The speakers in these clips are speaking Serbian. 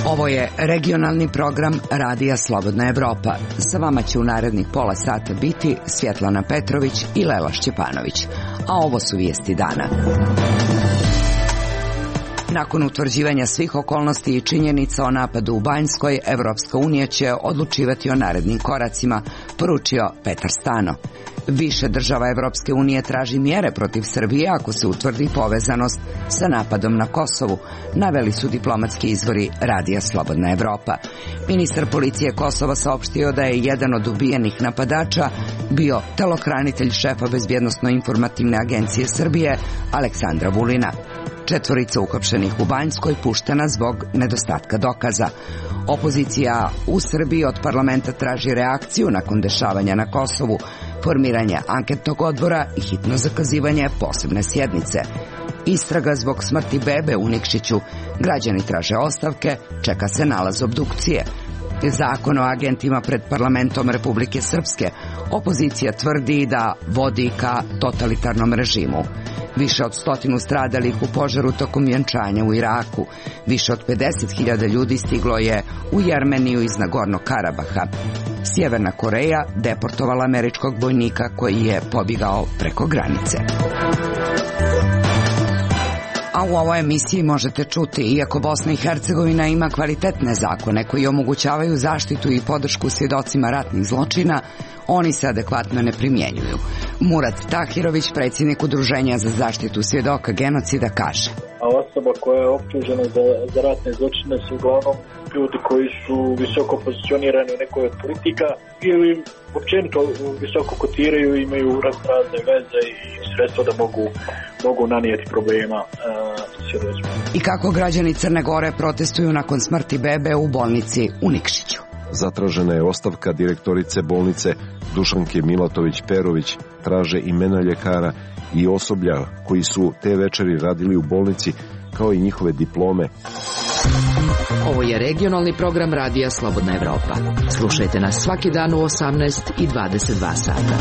Ovo je regionalni program Radija Slobodna Evropa. Sa vama će u narednih pola sata biti Svjetlana Petrović i Lela Šćepanović. A ovo su vijesti dana. Nakon utvrđivanja svih okolnosti i činjenica o napadu u Banjskoj, Evropska unija će odlučivati o narednim koracima, poručio Petar Stano. Više država Evropske unije traži mjere protiv Srbije ako se utvrdi povezanost sa napadom na Kosovu, naveli su diplomatski izvori Radija Slobodna Evropa. Ministar policije Kosova saopštio da je jedan od ubijenih napadača bio telohranitelj šefa Bezbjednosno-informativne agencije Srbije Aleksandra Vulina. 4 uhapšenih u Banjskoj puštena zbog nedostatka dokaza. Opozicija u Srbiji od parlamenta traži reakciju nakon dešavanja na Kosovu, formiranje anketnog odbora i hitno zakazivanje posebne sjednice. Istraga zbog smrti bebe u Nikšiću. Građani traže ostavke, čeka se nalaz obdukcije. Zakon o agentima pred parlamentom Republike Srpske. Opozicija tvrdi da vodi ka totalitarnom režimu. Više od 100 stradalih u požaru tokom vjenčanja u Iraku. Više od 50.000 ljudi stiglo je u Jermeniju iz Nagornog Karabaha. Sjeverna Koreja deportovala američkog vojnika koji je pobjegao preko granice. A u ovoj emisiji možete čuti, iako Bosna i Hercegovina ima kvalitetne zakone koji omogućavaju zaštitu i podršku svjedocima ratnih zločina, oni se adekvatno ne primjenjuju. Murat Tahirović, predsjednik Udruženja za zaštitu svjedoka genocida, kaže: A osoba koja je optužena za ratne zločine su uglavnom ljudi koji su visoko pozicionirani u nekoj od politika ili općenito visoko kotiraju, imaju razne veze i sredstva da mogu nanijeti problema svjedocima. I kako građani Crne Gore protestuju nakon smrti bebe u bolnici u Nikšiću. Zatražena je ostavka direktorice bolnice Dušanke Milatović-Perović, traže imena ljekara i osoblja koji su te večeri radili u bolnici, kao i njihove diplome. Ovo je regionalni program Radija Slobodna Evropa. Slušajte nas svaki dan u 18 i 22 sata.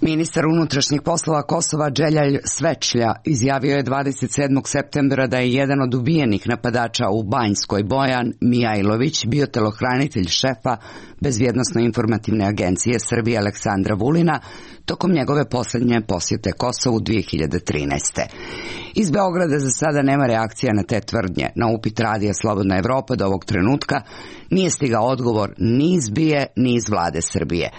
Ministar unutrašnjih poslova Kosova Dželjal Svečlja izjavio je 27. septembra da je jedan od ubijenih napadača u Banjskoj, Bojan Mijajlović, bio telohranitelj šefa Bezbjednosno-informativne agencije Srbije Aleksandra Vulina tokom njegove posljednje posjete Kosovu 2013. Iz Beograda za sada nema reakcija na te tvrdnje. Na upit Radija Slobodna Evropa do ovog trenutka nije stigao odgovor ni iz BIA ni iz vlade Srbije.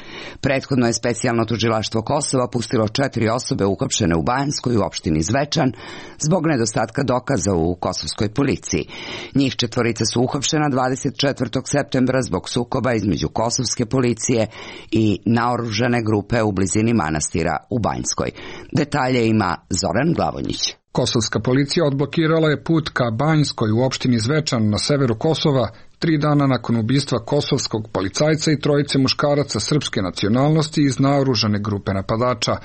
Prethodno je specijalno tužilaštvo Kosova pustilo 4 osobe uhapšene u Banjskoj u opštini Zvečan zbog nedostatka dokaza u kosovskoj policiji. Njih 4 su uhapšena 24. septembra zbog sukoba između kosovske policije i naoružane grupe u blizini manastira u Banjskoj. Detalje ima Zoran Glavonjić. Kosovska policija odblokirala je put ka Banjskoj u opštini Zvečan na severu Kosova 3 dana nakon ubistva kosovskog policajca i 3 muškaraca srpske nacionalnosti iz naoružane grupe napadača.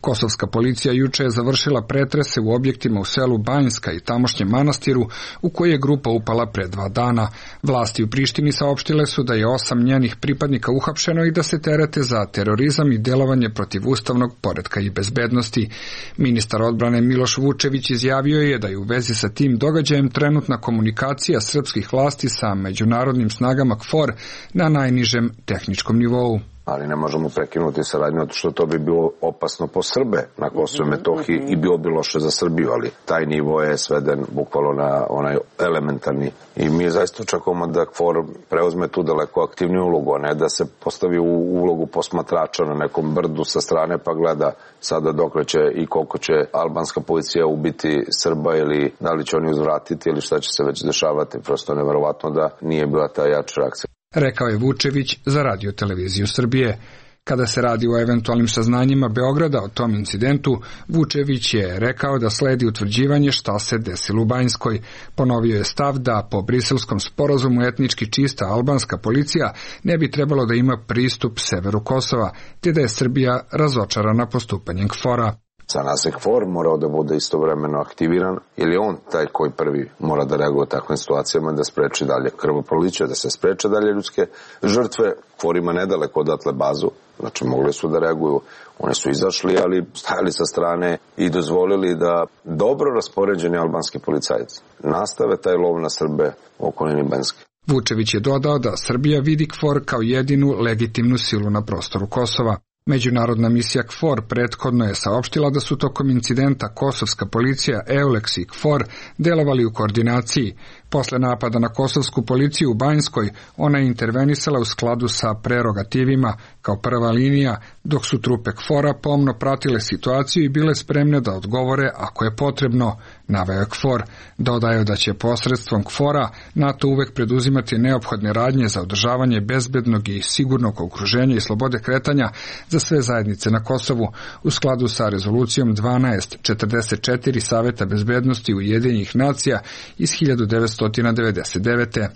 Kosovska policija juče je završila pretrese u objektima u selu Banjska i tamošnjem manastiru u koji je grupa upala pre 2 dana. Vlasti u Prištini saopštile su da je 8 njenih pripadnika uhapšeno i da se terete za terorizam i djelovanje protiv ustavnog poretka i bezbednosti. Ministar odbrane Miloš Vučević izjavio je da je u vezi sa tim događajem trenutna komunikacija srpskih vlasti sa međunarodnim snagama KFOR na najnižem tehničkom nivou. Ali ne možemo prekinuti saradnju, što to bi bilo opasno po Srbe na Kosovu i Metohiji i bilo bi loše za Srbiju, ali taj nivo je sveden bukvalno na onaj elementarni. I mi zaista očekujemo da KFOR preuzme tu daleko aktivniju ulogu, a ne da se postavi u ulogu posmatrača na nekom brdu sa strane pa gleda sada dokle će i koliko će albanska policija ubiti Srba ili da li će oni uzvratiti ili šta će se već dešavati. Prosto neverovatno da nije bila ta jača reakcija. Rekao je Vučević za Radio televiziju Srbije. Kada se radi o eventualnim saznanjima Beograda o tom incidentu, Vučević je rekao da sledi utvrđivanje šta se desilo u Banjskoj. Ponovio je stav da po briselskom sporazumu etnički čista albanska policija ne bi trebalo da ima pristup severu Kosova, te da je Srbija razočarana postupanjem KFOR-a. Za nas je KFOR morao da bude istovremeno aktiviran, jer je on taj koji prvi mora da reaguje u takvim situacijama, da spreči dalje krvoproliće, da se spreče dalje ljudske žrtve. KFOR ima nedaleko odatle bazu, znači mogli su da reaguju, oni su izašli, ali stajali sa strane i dozvolili da dobro raspoređeni albanski policajci nastave taj lov na Srbe u okolini Banjske. Vučević je dodao da Srbija vidi KFOR kao jedinu legitimnu silu na prostoru Kosova. Međunarodna misija KFOR prethodno je saopštila da su tokom incidenta kosovska policija, EULEX i KFOR delovali u koordinaciji. Posle napada na kosovsku policiju u Banjskoj, ona je intervenisala u skladu sa prerogativima kao prva linija, dok su trupe KFOR-a pomno pratile situaciju i bile spremne da odgovore ako je potrebno, naveo je KFOR. Dodaju da će posredstvom KFOR-a NATO uvek preduzimati neophodne radnje za održavanje bezbednog i sigurnog okruženja i slobode kretanja za sve zajednice na Kosovu, u skladu sa rezolucijom 1244 Saveta bezbednosti Ujedinjenih nacija iz 1999.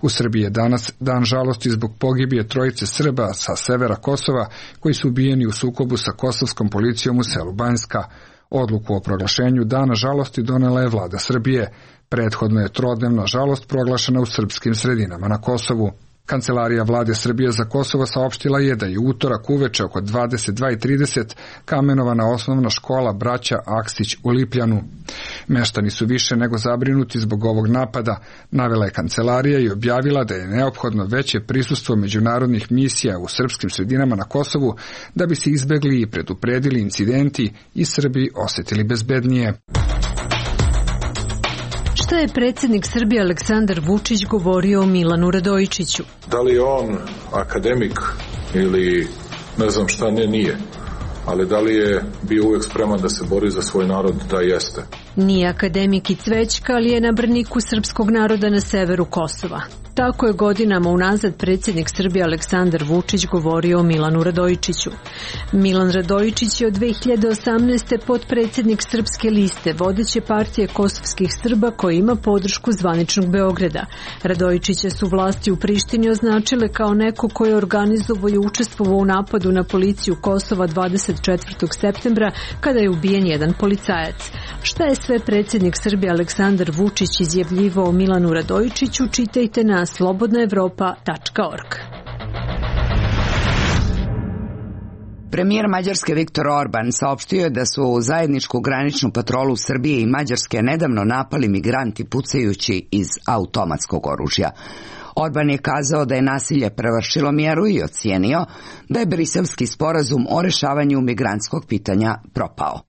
U Srbiji je danas dan žalosti zbog pogibije trojice Srba sa severa Kosova koji su ubijeni u sukobu sa kosovskom policijom u selu Banjska. Odluku o proglašenju dana žalosti donela je vlada Srbije. Prethodno je trodnevna žalost proglašena u srpskim sredinama na Kosovu. Kancelarija vlade Srbije za Kosovo saopštila je da je utorak uveče oko 22:30 kamenovana osnovna škola braća Aksić u Lipljanu. Meštani su više nego zabrinuti zbog ovog napada, navela je kancelarija i objavila da je neophodno veće prisustvo međunarodnih misija u srpskim sredinama na Kosovu da bi se izbegli i predupredili incidenti i Srbi osetili bezbednije. Šta je predsjednik Srbije Aleksandar Vučić govorio o Milanu Radojičiću? Da li je on akademik ili ne znam šta, nije. Ali da li je bio uvijek spreman da se bori za svoj narod? Da, jeste. Nije akademik i cvećka, ali je na braniku srpskog naroda na severu Kosova. Tako je godinama unazad predsjednik Srbije Aleksandar Vučić govorio o Milanu Radojičiću. Milan Radojičić je od 2018. potpredsjednik Srpske liste, vodeće partije kosovskih Srba koji ima podršku zvaničnog Beograda. Radojičića su vlasti u Prištini označile kao neko koji je organizovao i učestvovao u napadu na policiju Kosova 24. septembra kada je ubijen jedan policajac. Šta je sve predsjednik Srbije Aleksandar Vučić izjavljivao o Milanu Radojičiću, čitajte na slobodnaevropa.org. Premijer Mađarske Viktor Orban saopštio je da su zajedničku graničnu patrolu Srbije i Mađarske nedavno napali migranti pucajući iz automatskog oružja. Orban je kazao da je nasilje prevršilo mjeru i ocijenio da je briselski sporazum o rešavanju migrantskog pitanja propao.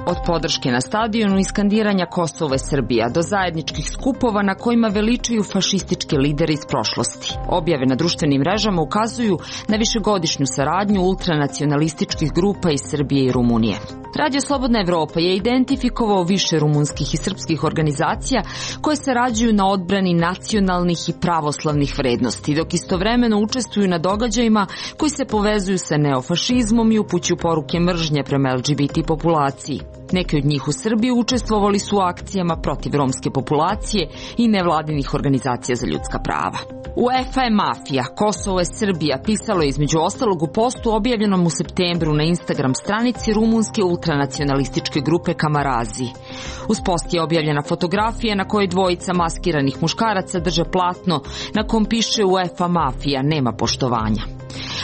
Od podrške na stadionu i skandiranja Kosovo je Srbija do zajedničkih skupova na kojima veličaju fašističke lidere iz prošlosti. Objave na društvenim mrežama ukazuju na višegodišnju saradnju ultranacionalističkih grupa iz Srbije i Rumunije. Radio Slobodna Evropa je identifikovao više rumunskih i srpskih organizacija koje sarađuju na odbrani nacionalnih i pravoslavnih vrednosti, dok istovremeno učestvuju na događajima koji se povezuju sa neofašizmom i upućuju poruke mržnje prema LGBT populaciji. Neki od njih u Srbiji učestvovali su u akcijama protiv romske populacije i nevladinih organizacija za ljudska prava. UEFA je mafija, Kosovo je Srbija, pisalo je između ostalog u postu objavljenom u septembru na Instagram stranici rumunske ultranacionalističke grupe Kamarazi. Uz post je objavljena fotografija na kojoj dvojica maskiranih muškaraca drže platno na kom piše UEFA mafija, nema poštovanja.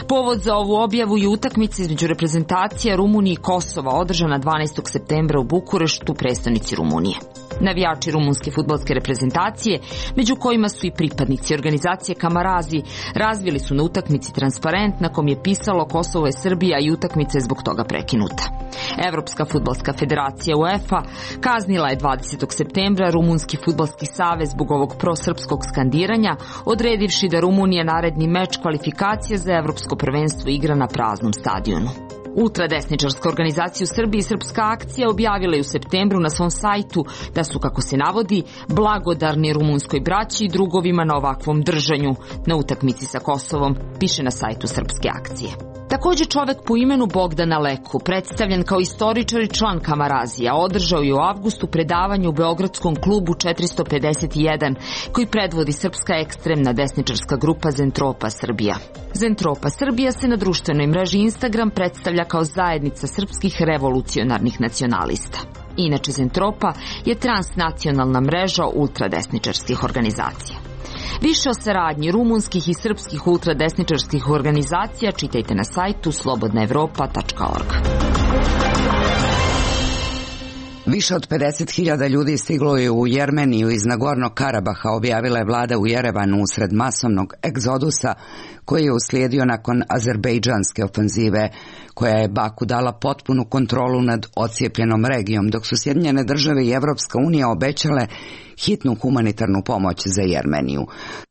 Povod za ovu objavu je utakmica između reprezentacija Rumunije i Kosova održana 12. septembra u Bukureštu, prestonici Rumunije. Navijači rumunske fudbalske reprezentacije, među kojima su i pripadnici organizacije Kamarazi, razvili su na utakmici transparent na kom je pisalo Kosovo je Srbija i utakmica je zbog toga prekinuta. Evropska fudbalska federacija UEFA kaznila je 20. septembra Rumunski fudbalski savez zbog ovog prosrpskog skandiranja, odredivši da Rumunija naredni meč kvalifikacije za evropsko prvenstvo igra na praznom stadionu. Ultradesničarska organizacija u Srbiji Srpska akcija objavila je u septembru na svom sajtu da su, kako se navodi, blagodarni rumunskoj braći i drugovima na ovakvom držanju na utakmici sa Kosovom, piše na sajtu Srpske akcije. Takođe čovek po imenu Bogdana Leku, predstavljen kao istoričar i član Kamarazija, održao je u avgustu predavanje u Beogradskom klubu 451, koji predvodi srpska ekstremna desničarska grupa Zentropa Srbija. Zentropa Srbija se na društvenoj mreži Instagram predstavlja kao zajednica srpskih revolucionarnih nacionalista. Inače, Zentropa je transnacionalna mreža ultradesničarskih organizacija. Više o saradnji rumunskih i srpskih ultradesničarskih organizacija čitajte na sajtu slobodnaevropa.org. Više od 50.000 ljudi stiglo je u Jermeniju iz Nagornog Karabaha, objavila je vlada u Jerevanu usred masovnog egzodusa koji je uslijedio nakon azerbejdžanske ofanzive, koja je Baku dala potpunu kontrolu nad ocijepljenom regijom, dok su Sjedinjene države i Evropska unija obećale hitnu humanitarnu pomoć za Jermeniju.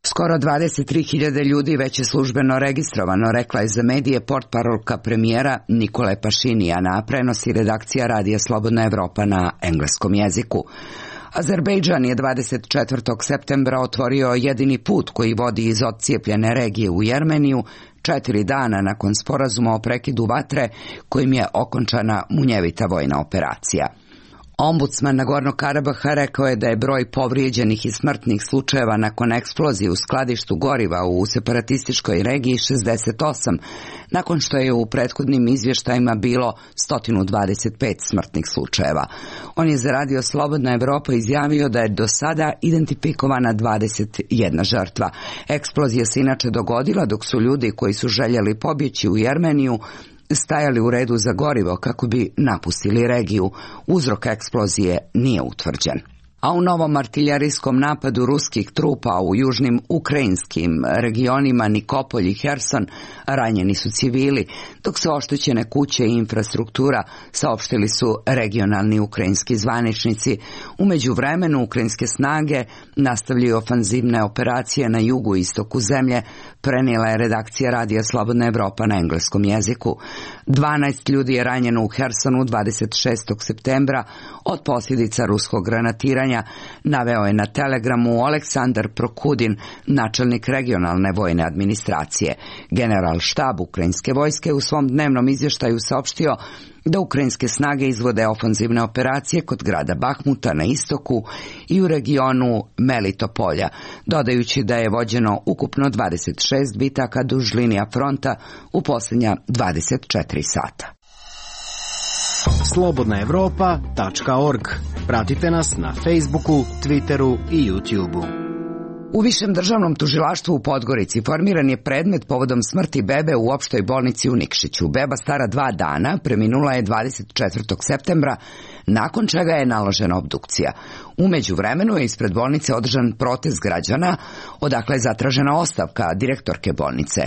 Skoro 23.000 ljudi već je službeno registrovano, rekla je za medije portparolka premijera Nikole Pašinijana, a prenosi redakcija Radija Slobodna Evropa na engleskom jeziku. Azerbejdžan je 24. septembra otvorio jedini put koji vodi iz odcijepljene regije u Jermeniju 4 dana nakon sporazuma o prekidu vatre kojim je okončana munjevita vojna operacija. Ombudsman Nagornog Karabaha rekao je da je broj povrijeđenih i smrtnih slučajeva nakon eksplozije u skladištu goriva u separatističkoj regiji 68, nakon što je u prethodnim izvještajima bilo 125 smrtnih slučajeva. On je za Radio Slobodna Evropa izjavio da je do sada identifikovana 21 žrtva. Eksplozija se inače dogodila dok su ljudi koji su željeli pobjeći u Jermeniju stajali u redu za gorivo kako bi napustili regiju. Uzrok eksplozije nije utvrđen. A u novom artiljerijskom napadu ruskih trupa u južnim ukrajinskim regionima Nikopolj i Herson ranjeni su civili, dok se oštećene kuće i infrastruktura, saopštili su regionalni ukrajinski zvaničnici. U međuvremenu ukrajinske snage nastavljaju ofanzivne operacije na jugu i istoku zemlje, prenijela je redakcija Radija Slobodna Evropa na engleskom jeziku. 12 ljudi je ranjeno u Hersonu 26. septembra od posljedica ruskog granatiranja, naveo je na Telegramu Aleksandar Prokudin, načelnik regionalne vojne administracije. General štab ukrajinske vojske u svom dnevnom izvještaju saopštio da ukrajinske snage izvode ofanzivne operacije kod grada Bahmuta na istoku i u regionu Melitopolja, dodajući da je vođeno ukupno 26 bitaka duž linija fronta u posljednja 24 sata. slobodnaevropa.org. Pratite nas na Facebooku, Twitteru i YouTubeu. U Višem državnom tužilaštvu u Podgorici formiran je predmet povodom smrti bebe u opštoj bolnici u Nikšiću. Beba stara 2 dana preminula je 24. septembra, nakon čega je naložena obdukcija. U međuvremenu je ispred bolnice održan protest građana, odakle je zatražena ostavka direktorke bolnice.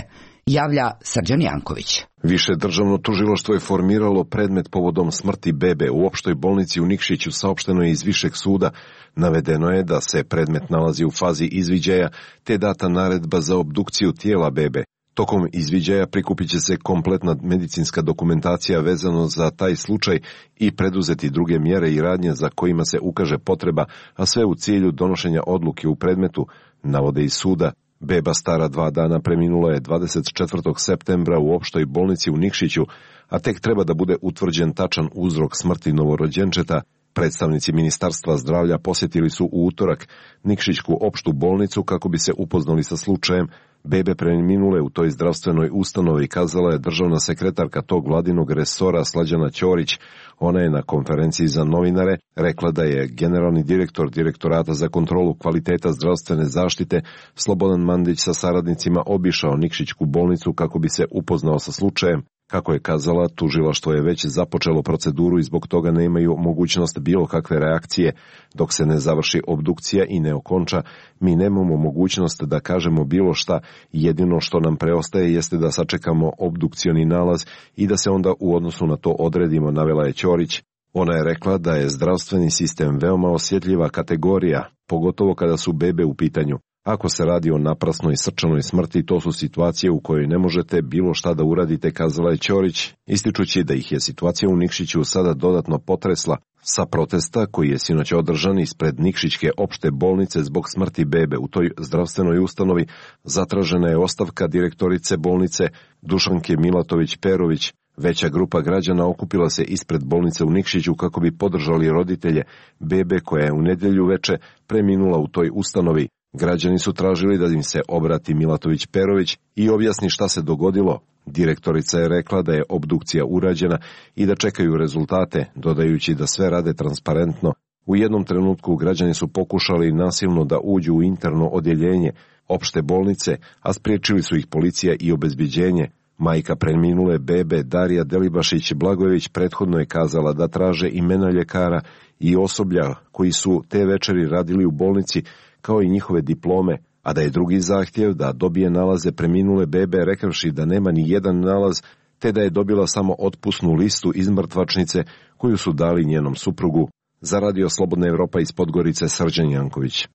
Javlja Srđan Janković. Više državno tužilaštvo je formiralo predmet povodom smrti bebe u opštoj bolnici u Nikšiću, saopšteno je iz Višeg suda. Navedeno je da se predmet nalazi u fazi izviđaja, te data naredba za obdukciju tijela bebe. Tokom izviđaja prikupit će se kompletna medicinska dokumentacija vezano za taj slučaj i preduzeti druge mjere i radnje za kojima se ukaže potreba, a sve u cilju donošenja odluke u predmetu, navode iz suda. Beba stara 2 dana preminula je 24. septembra u opštoj bolnici u Nikšiću, a tek treba da bude utvrđen tačan uzrok smrti novorođenčeta. Predstavnici Ministarstva zdravlja posjetili su u utorak Nikšićku opštu bolnicu kako bi se upoznali sa slučajem. Bebe preminule u toj zdravstvenoj ustanovi, kazala je državna sekretarka tog vladinog resora Slađana Ćorić. Ona je na konferenciji za novinare rekla da je generalni direktor Direktorata za kontrolu kvaliteta zdravstvene zaštite Slobodan Mandić sa saradnicima obišao Nikšićku bolnicu kako bi se upoznao sa slučajem. Kako je kazala, tužilaštvo je već započelo proceduru i zbog toga nemaju mogućnost bilo kakve reakcije. Dok se ne završi obdukcija i ne okonča, mi nemamo mogućnost da kažemo bilo šta. Jedino što nam preostaje jeste da sačekamo obdukcioni nalaz i da se onda u odnosu na to odredimo, navela je Ćorić. Ona je rekla da je zdravstveni sistem veoma osjetljiva kategorija, pogotovo kada su bebe u pitanju. Ako se radi o naprasnoj srčanoj smrti, to su situacije u kojoj ne možete bilo šta da uradite, kazala je Ćorić, ističući da ih je situacija u Nikšiću sada dodatno potresla. Sa protesta koji je sinoć održan ispred Nikšićke opšte bolnice zbog smrti bebe u toj zdravstvenoj ustanovi, zatražena je ostavka direktorice bolnice Dušanke Milatović-Perović. Veća grupa građana okupila se ispred bolnice u Nikšiću kako bi podržali roditelje bebe koja je u nedjelju veče preminula u toj ustanovi. Građani su tražili da im se obrati Milatović-Perović i objasni šta se dogodilo. Direktorica je rekla da je obdukcija urađena i da čekaju rezultate, dodajući da sve rade transparentno. U jednom trenutku građani su pokušali nasilno da uđu u interno odjeljenje opšte bolnice, a spriječili su ih policija i obezbeđenje. Majka preminule bebe Darija Delibašić-Blagojević prethodno je kazala da traže imena ljekara i osoblja koji su te večeri radili u bolnici, kao i njihove diplome, a da je drugi zahtjev da dobije nalaze preminule bebe rekavši da nema ni jedan nalaz, te da je dobila samo otpusnu listu iz mrtvačnice koju su dali njenom suprugu. Za Radio Slobodna Evropa iz Podgorice, Srđan Janković.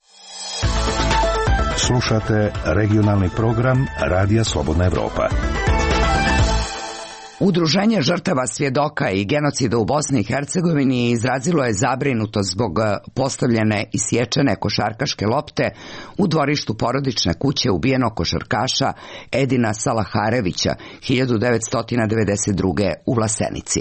Slušate regionalni program Radija Slobodna Evropa. Udruženje žrtava svjedoka i genocida u Bosni i Hercegovini izrazilo je zabrinutost zbog postavljene i sječene košarkaške lopte u dvorištu porodične kuće ubijenog košarkaša Edina Salaharevića 1992. u Vlasenici.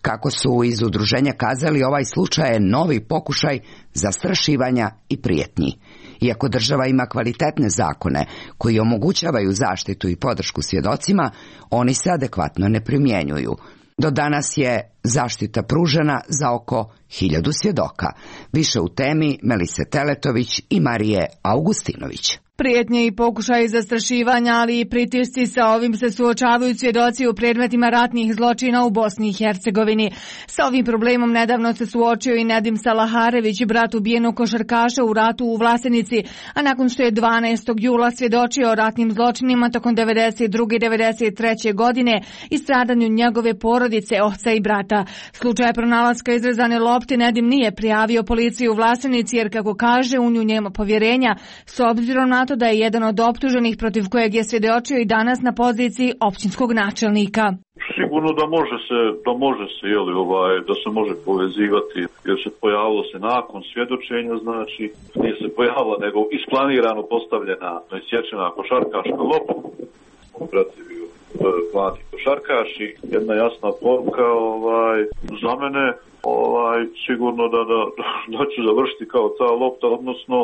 Kako su iz udruženja kazali, ovaj slučaj je novi pokušaj zastrašivanja i prijetnji. Iako država ima kvalitetne zakone koji omogućavaju zaštitu i podršku svjedocima, oni se adekvatno ne primjenjuju. Do danas je zaštita pružena za oko 1000 svjedoka. Više u temi Melise Teletović i Marije Augustinović. Prijetnje i pokušaji zastrašivanja, ali i pritisci, sa ovim se suočavaju svjedoci u predmetima ratnih zločina u Bosni i Hercegovini. Sa ovim problemom nedavno se suočio i Nedim Salaharević, brat ubijenog košarkaša u ratu u Vlasenici, a nakon što je 12. jula svjedočio o ratnim zločinima tokom 92. i 93. godine i stradanju njegove porodice, oca i brata. Slučaj pronalaska izrezane lopte Nedim nije prijavio policiji u Vlasenici jer, kako kaže, u nju nema povjerenja, s obzirom na to da je jedan od optuženih protiv kojeg je svjedočio i danas na poziciji općinskog načelnika. Sigurno da može se da se može povezivati, jer se pojavilo se nakon svjedočenja, znači nije se pojavila nego isplanirano postavljena isječena košarkaška lopta. Protiv mladi košarkaši, jedna jasna poruka za mene, sigurno da ću završiti kao ta lopta, odnosno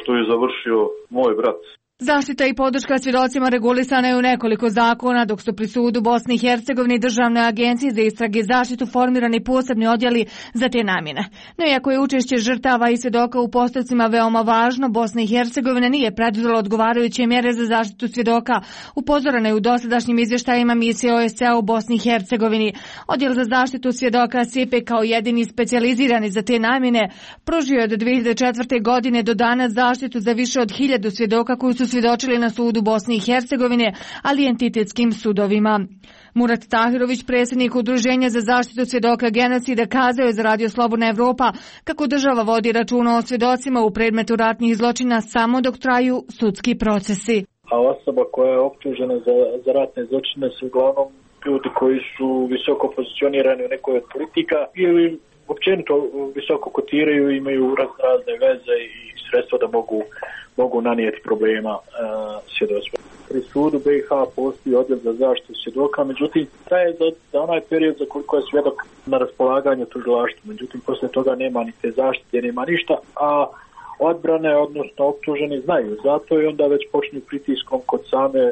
što je završio moj brat. Zaštita i podrška svjedocima regulisana je u nekoliko zakona, dok su pri sudu Bosni i Hercegovini i Državnoj agenciji za istrage i zaštitu formirani posebni odjeli za te namjene. No iako je učešće žrtava i svjedoka u postupcima veoma važno, Bosna i Hercegovina nije preduzela odgovarajuće mjere za zaštitu svjedoka. Upozorena je u dosadašnjim izvještajima misije OSCE u Bosni i Hercegovini. Odjel za zaštitu svjedoka SIPE kao jedini specijalizirani za te namjene pružio je od 2004. godine do danas zaštitu za više od 1000 svjedoka koji su svjedočili na sudu Bosne i Hercegovine, ali i entitetskim sudovima. Murat Tahirović, predsjednik Udruženja za zaštitu svjedoka genocida, kazao je za Radio Slobodna Evropa kako država vodi računa o svjedocima u predmetu ratnih zločina samo dok traju sudski procesi. A osoba koja je optužena za ratne zločine su uglavnom ljudi koji su visoko pozicionirani u nekoj od politika ili općenito visoko kotiraju, imaju razne veze i sredstva da mogu nanijeti problema svjedocima. Pri sudu BiH postoji odjel za zaštitu svjedoka, međutim, traje za onaj period za koliko je svjedok na raspolaganju tužilaštvu. Međutim, poslije toga nema ni te zaštite, nema ništa, a odbrane, odnosno optuženi, znaju. Zato i onda već počinju pritiskom kod same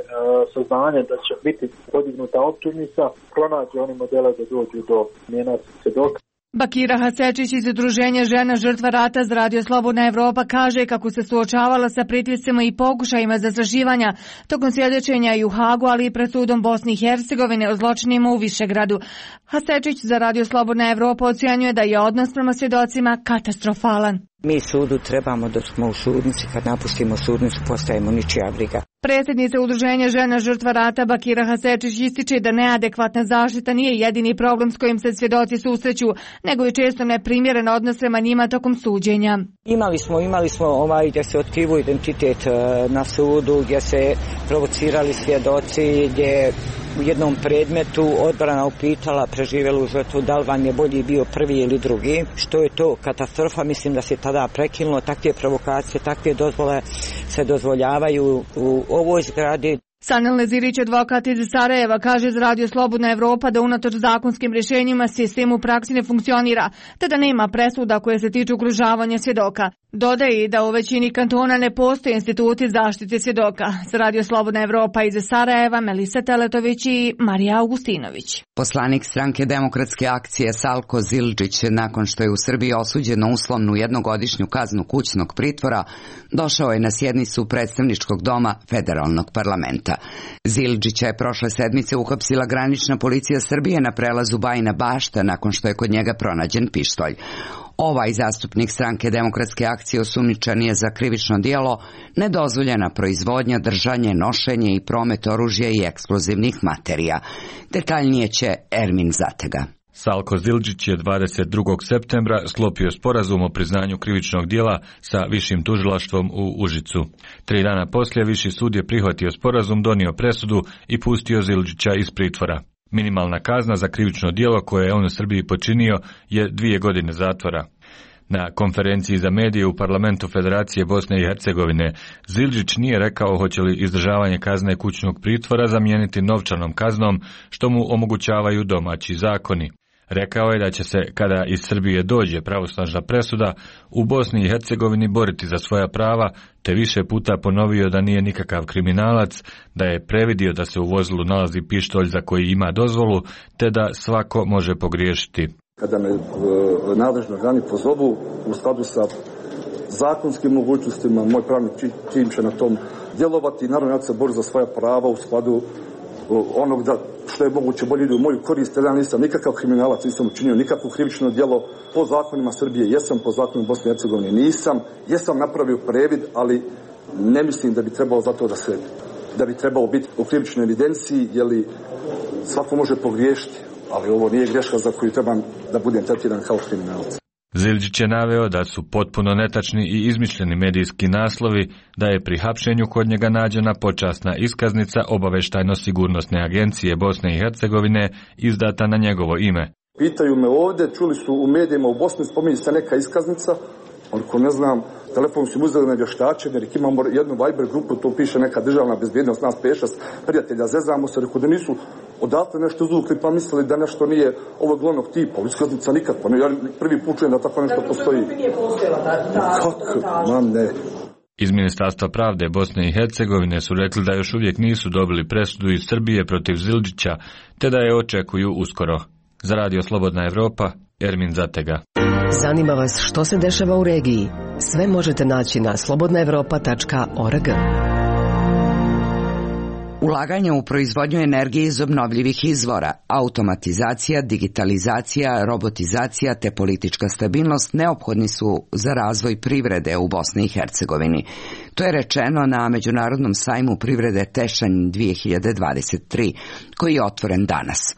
saznanja da će biti podignuta optužnica, pronađe oni modele da dođu do smjena svjedoka. Bakira Hasečić iz Udruženja žena žrtva rata za Radio Slobodna Evropa kaže kako se suočavala sa pritiscima i pokušajima zastrašivanja tokom svjedočenja i u Hagu, ali i pred sudom Bosne i Hercegovine o zločinima u Višegradu. Hasečić za Radio Slobodna Evropa ocjenjuje da je odnos prema svjedocima katastrofalan. Mi sudu trebamo dok smo u sudnici, kad napustimo sudnicu postajemo ničija briga. Predsjednica Udruženja žena žrtva rata Bakira Hasečić ističe da neadekvatna zaštita nije jedini problem s kojim se svjedoci susreću, nego i često neprimjeren odnos prema njima tokom suđenja. Imali smo gdje se otkrivo identitet na sudu, gdje se provocirali svjedoci, gdje u jednom predmetu odbrana upitala preživjelu žrtvu da li vam je bolji bio prvi ili drugi. Što je to katastrofa, mislim da se tada prekinulo, takve provokacije, takve dozvole se dozvoljavaju u ovoj zgradi. Sanel Nezirić, advokat iz Sarajeva, kaže za Radio Slobodna Evropa da unatoč zakonskim rješenjima sistem u praksi ne funkcionira, te da nema presuda koje se tiču ugrožavanja svjedoka. Dodaje i da u većini kantona ne postoje instituti zaštite svjedoka. Za Radio Slobodna Evropa iz Sarajeva, Melisa Teletović i Marija Augustinović. Poslanik stranke Demokratske akcije Salko Zildžić, nakon što je u Srbiji osuđen na uslovnu jednogodišnju kaznu kućnog pritvora, došao je na sjednicu predstavničkog doma federalnog parlamenta. Zildžića je prošle sedmice uhapsila granična policija Srbije na prelazu Bajina Bašta nakon što je kod njega pronađen pištolj. Ovaj zastupnik stranke Demokratske akcije osumnjičen je za krivično djelo nedozvoljena proizvodnja, držanje, nošenje i promet oružja i eksplozivnih materija. Detaljnije će Ermin Zatega. Salko Zildžić je 22. septembra sklopio sporazum o priznanju krivičnog djela sa višim tužilaštvom u Užicu. 3 dana poslije viši sud je prihvatio sporazum, donio presudu i pustio Zildžića iz pritvora. Minimalna kazna za krivično djelo koje je on u Srbiji počinio je 2 godine zatvora. Na konferenciji za medije u parlamentu Federacije Bosne i Hercegovine Zildžić nije rekao hoće li izdržavanje kazne kućnog pritvora zamijeniti novčanom kaznom, što mu omogućavaju domaći zakoni. Rekao je da će se, kada iz Srbije dođe pravosnažna presuda, u Bosni i Hercegovini boriti za svoja prava, te više puta ponovio da nije nikakav kriminalac, da je previdio da se u vozilu nalazi pištolj za koji ima dozvolu, te da svako može pogriješiti. Kada me nadležni organi pozovu u skladu sa zakonskim mogućnostima, moj pravni tim će na tom djelovati. Naravno, ja ću se boriti za svoja prava u skladu onog da što je moguće bolje ide u moju korist. Ja nisam nikakav kriminalac, nisam učinio nikakvo krivično djelo. Po zakonima Srbije jesam, po zakonima Bosne i Hercegovine nisam. Jesam napravio previd, ali ne mislim da bi trebalo zato da bi trebalo biti u krivičnoj evidenciji, jer svako može pogriješiti. Ali ovo nije greška za koju trebam da budem tretiran kao kriminalac. Zildžić je naveo da su potpuno netačni i izmišljeni medijski naslovi, da je pri hapšenju kod njega nađena počasna iskaznica Obavještajno-sigurnosne agencije Bosne i Hercegovine izdata na njegovo ime. Pitaju me ovdje, čuli su u medijima u Bosni, spominje se neka iskaznica, ali ko ne znam, telefon su uzeli na vještačenje, jer imamo jednu Viber grupu, to piše neka državna bezbjednost, nas 5-6 prijatelja, zezamo se, rekao da nisu odatle nešto izvukli pa mislili da nešto nije ovog glavnog tipa, iskaznica nikakva, ja prvi put čujem da tako nešto postoji. Kako? Ne. Iz Ministarstva pravde Bosne i Hercegovine su rekli da još uvijek nisu dobili presudu iz Srbije protiv Zildžića, te da je očekuju uskoro. Za Radio Slobodna Evropa, Ermin Zatega. Zanima vas što se dešava u regiji? Sve možete naći na slobodnaevropa.org. Ulaganje u proizvodnju energije iz obnovljivih izvora, automatizacija, digitalizacija, robotizacija te politička stabilnost neophodni su za razvoj privrede u Bosni i Hercegovini. To je rečeno na Međunarodnom sajmu privrede Tešanj 2023, koji je otvoren danas.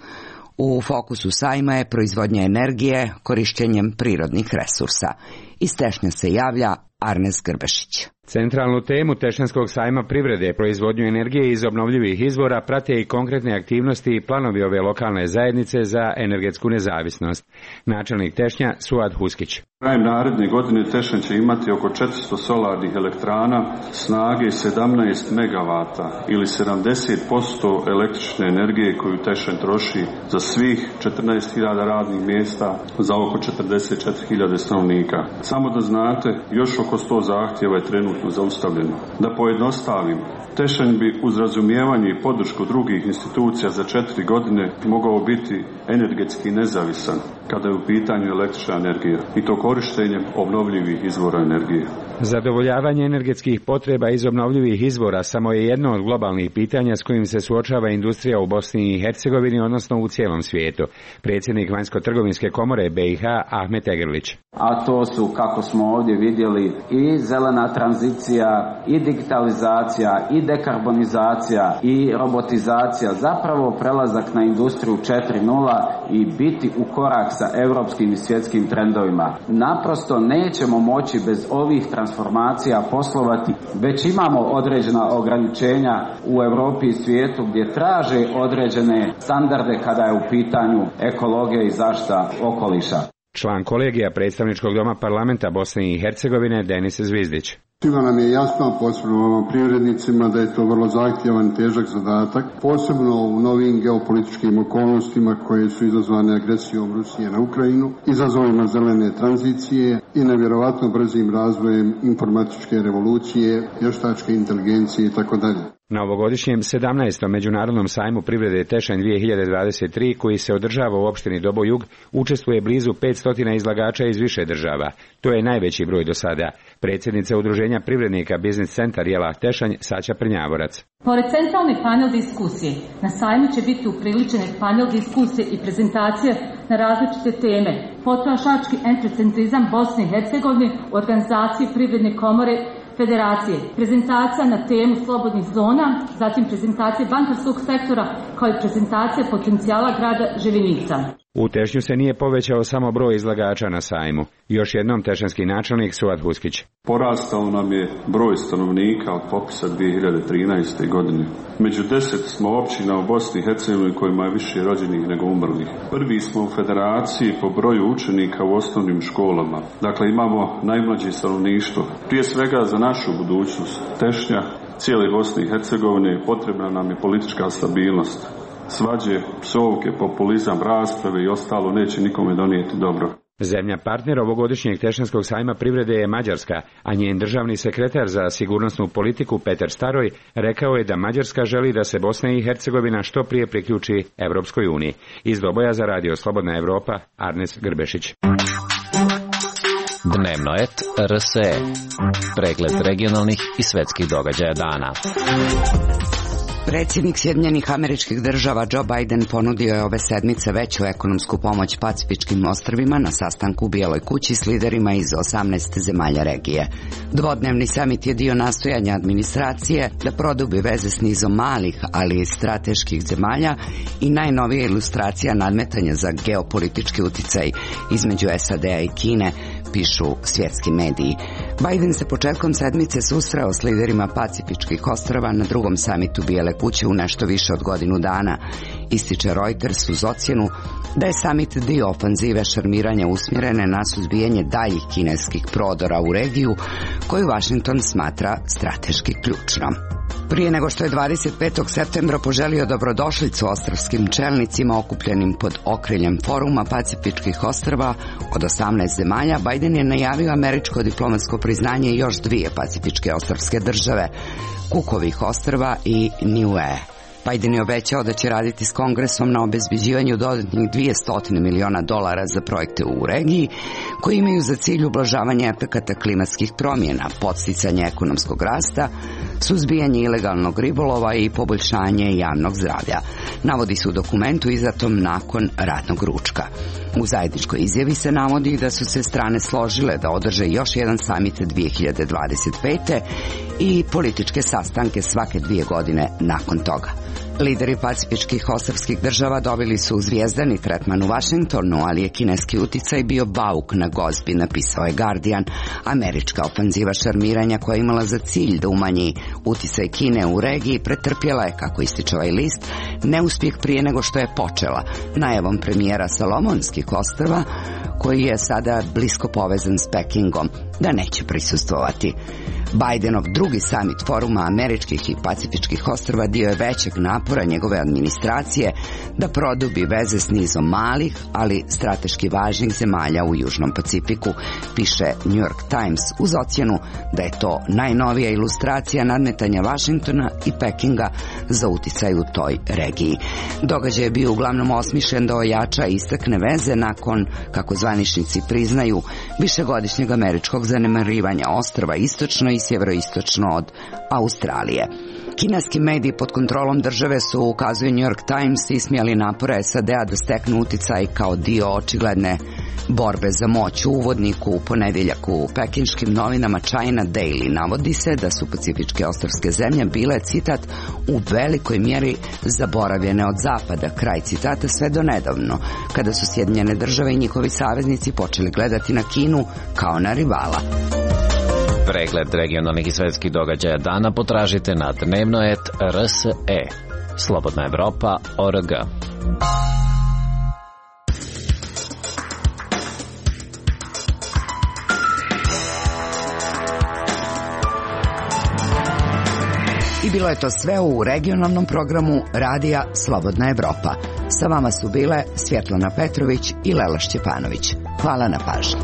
U fokusu sajma je proizvodnja energije korištenjem prirodnih resursa. Iz Tešnja se javlja Arnes Grbešić. Centralnu temu Tešanskog sajma privrede, proizvodnju energije iz obnovljivih izvora, prate i konkretne aktivnosti i planovi ove lokalne zajednice za energetsku nezavisnost. Načelnik Tešnja Suad Huskić. Krajem naredne godine Tešanj će imati oko 400 solarnih elektrana snage 17 megavata ili 70% električne energije koju Tešanj troši za svih 14.000 radnih mjesta za oko 44.000 stanovnika. Samo da znate, još oko 100 zahtjeva je trenutno zaustavljeno. Da pojednostavim, Tešanj bi uz razumijevanje i podršku drugih institucija za 4 godine mogao biti energetski nezavisan kada je u pitanju električna energija i to korištenjem obnovljivih izvora energije. Zadovoljavanje energetskih potreba iz obnovljivih izvora samo je jedno od globalnih pitanja s kojim se suočava industrija u Bosni i Hercegovini, odnosno u cijelom svijetu. Predsjednik Vanjsko-trgovinske komore BiH Ahmet Egrlić. A to su, kako smo ovdje vidjeli, i zelena tranzicija tranzicija, i digitalizacija, i dekarbonizacija, i robotizacija, zapravo prelazak na industriju 4.0 i biti u korak sa europskim i svjetskim trendovima. Naprosto nećemo moći bez ovih transformacija poslovati, već imamo određena ograničenja u Europi i svijetu gdje traže određene standarde kada je u pitanju ekologija i zaštita okoliša. Član kolegija predstavničkog doma parlamenta Bosne i Hercegovine Denis Zvizdić. Svima nam je jasno, posebno ovim privrednicima, da je to vrlo zahtjevan i težak zadatak, posebno u novim geopolitičkim okolnostima koje su izazvane agresijom Rusije na Ukrajinu, izazovima zelene tranzicije i nevjerovatno brzim razvojem informatičke revolucije, vještačke inteligencije itd. Na ovogodišnjem 17. Međunarodnom sajmu privrede Tešanj 2023, koji se održava u opštini Dobojug, učestvuje blizu 500 izlagača iz više država. To je najveći broj do sada. Predsjednica Udruženja privrednika Biznis centar Jela Tešanj, Saća Prnjavorac. Pored centralni panel diskusije, na sajmu će biti upriličene panel diskusije i prezentacije na različite teme. Potrošački entrecentrizam Bosne i Hercegovine u organizaciji Privredne komore Federacije, prezentacija na temu slobodnih zona, zatim prezentacija bankarskog sektora kao i prezentacija potencijala grada Ževinica. U Tešnju se nije povećao samo broj izlagača na sajmu. Još jednom tešanski načelnik Suad Huskić. Porastao nam je broj stanovnika od popisa 2013. godine. Među 10 smo općina u Bosni i Hercegovini kojima je više rođenih nego umrlih. Prvi smo u federaciji po broju učenika u osnovnim školama. Dakle, imamo najmlađe stanovništvo. Prije svega za našu budućnost Tešnja, cijele Bosne i Hercegovine, potrebna nam je politička stabilnost. Svađe, psovke, populizam, rasprave i ostalo neće nikome donijeti dobro. Zemlja partner ovogodišnjeg Tešanskog sajma privrede je Mađarska, a njen državni sekretar za sigurnosnu politiku Petar Staroj rekao je da Mađarska želi da se Bosna i Hercegovina što prije priključi Evropskoj uniji. Iz Doboja za Radio Slobodna Evropa, Arnes Grbešić. Dnevno et RSE. Pregled regionalnih i svetskih događaja dana. Predsjednik Sjedinjenih Američkih Država Joe Biden ponudio je ove sedmice veću ekonomsku pomoć Pacifičkim ostrvima na sastanku u Bijeloj kući s liderima iz 18 zemalja regije. Dvodnevni samit je dio nastojanja administracije da produbi veze s nizom malih, ali i strateških zemalja i najnovija ilustracija nadmetanja za geopolitički uticaj između SAD-a i Kine, pišu svjetski mediji. Biden se početkom sedmice susreo s liderima Pacifičkih ostrva na drugom samitu Bijele kuće u nešto više od godinu dana. Ističe Reuters uz ocjenu da je samit dio ofanzive šarmiranja usmjerene na suzbijanje daljih kineskih prodora u regiju, koju Washington smatra strateški ključnom. Prije nego što je 25. septembra poželio dobrodošlicu ostrvskim čelnicima okupljenim pod okriljem foruma Pacifičkih ostrva od 18 zemalja, Biden je najavio američko diplomatsko priznanje još dvije pacifičke ostrvske države, Cookovih ostrva i Niue. Biden je obećao da će raditi s Kongresom na obezbeđivanju dodatnih $200 miliona za projekte u regiji koji imaju za cilj ublažavanje efekata klimatskih promjena, podsticanje ekonomskog rasta, suzbijanje ilegalnog ribolova i poboljšanje javnog zdravlja, navodi se u dokumentu izdatom nakon ratnog ručka. U zajedničkoj izjavi se navodi da su se strane složile da održe još jedan samit 2025. i političke sastanke svake 2 godine nakon toga. Lideri pacifičkih ostrvskih država dobili su zvijezdani tretman u Washingtonu, ali je kineski uticaj bio bauk na gozbi, napisao je Guardian. Američka ofanziva šarmiranja koja je imala za cilj da umanji uticaj Kine u regiji pretrpjela je, kako ističe ovaj list, neuspjeh prije nego što je počela, najavom premijera Salomonskih ostrva, koji je sada blisko povezan s Pekingom, da neće prisustvovati. Bidenov drugi samit foruma američkih i pacifičkih ostrva dio je većeg napora njegove administracije da produbi veze s nizom malih, ali strateški važnih zemalja u Južnom Pacifiku, piše New York Times uz ocjenu da je to najnovija ilustracija nadmetanja Washingtona i Pekinga za uticaj u toj regiji. Događaj je bio uglavnom osmišljen da ojača i istakne veze nakon, kako zvaničnici priznaju, višegodišnjeg američkog zanemarivanja ostrva istočno i sjeveroistočno od Australije. Kineski mediji pod kontrolom države su, ukazuje New York Times, ismijali napore SAD-a da steknu uticaj kao dio očigledne borbe za moć. U uvodniku u ponedjeljak u pekinškim novinama China Daily navodi se da su pacifičke ostrvske zemlje bile, citat, u velikoj mjeri zaboravljene od zapada, kraj citata, sve do nedavno, kada su Sjedinjene države i njihovi saveznici počeli gledati na Kinu kao na rivala. Pregled regionalnih i svetskih događaja dana potražite na dnevnoet.rse. Slobodna Evropa.org. I bilo je to sve u regionalnom programu Radija Slobodna Evropa. Sa vama su bile Svjetlana Petrović i Lela Šćepanović. Hvala na pažnji.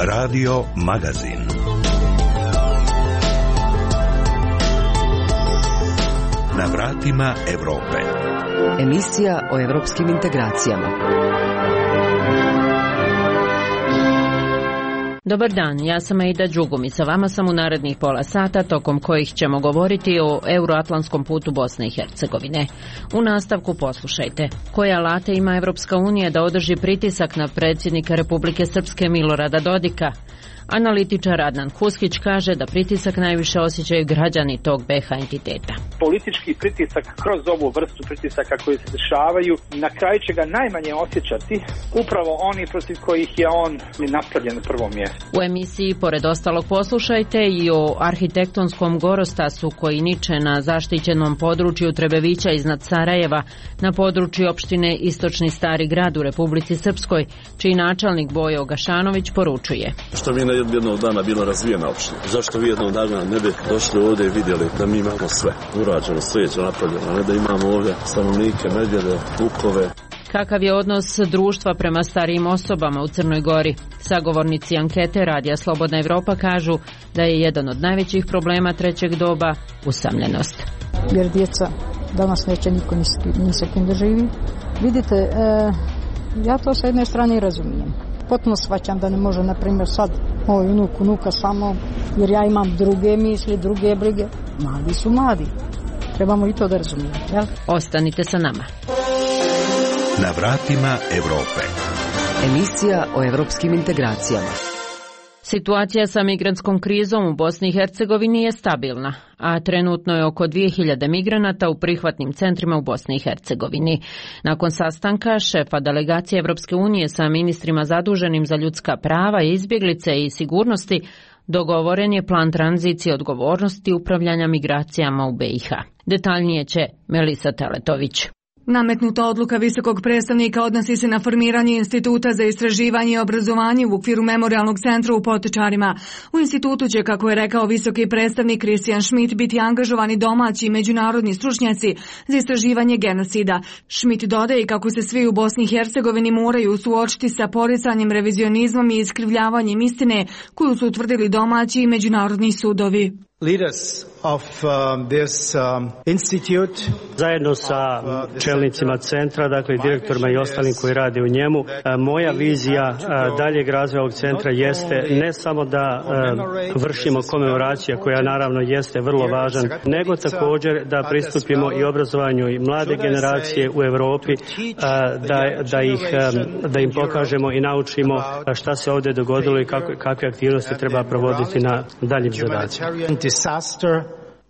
Radio Magazin. Na vratima Evrope. Emisija o evropskim integracijama. Dobar dan, ja sam Aida Đugum i sa vama sam u narednih pola sata, tokom kojih ćemo govoriti o euroatlantskom putu Bosne i Hercegovine. U nastavku poslušajte. Koje alate ima Evropska unija da održi pritisak na predsjednika Republike Srpske Milorada Dodika? Analitičar Adnan Huskić kaže da pritisak najviše osjećaju građani tog BiH entiteta. Politički pritisak kroz ovu vrstu pritisaka koji se dešavaju, na kraju će ga najmanje osjećati upravo oni protiv kojih je on napravljen na prvom mjestu. U emisiji, pored ostalog, poslušajte i o arhitektonskom gorostasu koji niče na zaštićenom području Trebevića iznad Sarajeva, na području opštine Istočni Stari Grad u Republici Srpskoj, čiji načelnik Bojo Gašanović poručuje. Što mi jednog dana bila razvijena opština. Zašto vi jednog dana ne bi došli ovdje i vidjeli da mi imamo sve urađeno, slijeđe napravljeno, a ne da imamo ovdje stanovnike, medvjede, vukove. Kakav je odnos društva prema starijim osobama u Crnoj Gori? Sagovornici ankete Radija Slobodna Evropa kažu da je jedan od najvećih problema trećeg doba usamljenost. Jer djeca danas neće niko ni sa kim da živi. Vidite, ja to sa jedne strane i razumijem. Potpuno shvaćam da ne može, na primjer, sad moj unuka samo, jer ja imam druge misli, druge brige. Mladi su mladi. Trebamo i to da razumijemo, jel? Ostanite sa nama. Na vratima Evrope. Emisija o evropskim integracijama. Situacija sa migrantskom krizom u Bosni i Hercegovini je stabilna, a trenutno je oko 2000 migranata u prihvatnim centrima u Bosni i Hercegovini. Nakon sastanka šefa delegacije Evropske unije sa ministrima zaduženim za ljudska prava, izbjeglice i sigurnosti, dogovoren je plan tranzicije odgovornosti upravljanja migracijama u BiH. Detaljnije će Melisa Teletović. Nametnuta odluka visokog predstavnika odnosi se na formiranje Instituta za istraživanje i obrazovanje u okviru Memorijalnog centra u Potečarima. U institutu će, kako je rekao visoki predstavnik Christian Schmidt, biti angažovani domaći i međunarodni stručnjaci za istraživanje genocida. Schmidt dodaje kako se svi u Bosni i Hercegovini moraju suočiti sa poricanjem, revizionizmom i iskrivljavanjem istine koju su utvrdili domaći i međunarodni sudovi. Leaders of this institute, zajedno sa čelnicima centra, dakle direktorima i ostalim koji rade u njemu, moja vizija daljeg razvoja ovog centra jeste ne samo da vršimo komemoracija, koja naravno jeste vrlo važan, nego također da pristupimo i obrazovanju i mlade generacije u Europi, da im pokažemo i naučimo šta se ovdje dogodilo i kakve aktivnosti treba provoditi na daljim zadacima. Disaster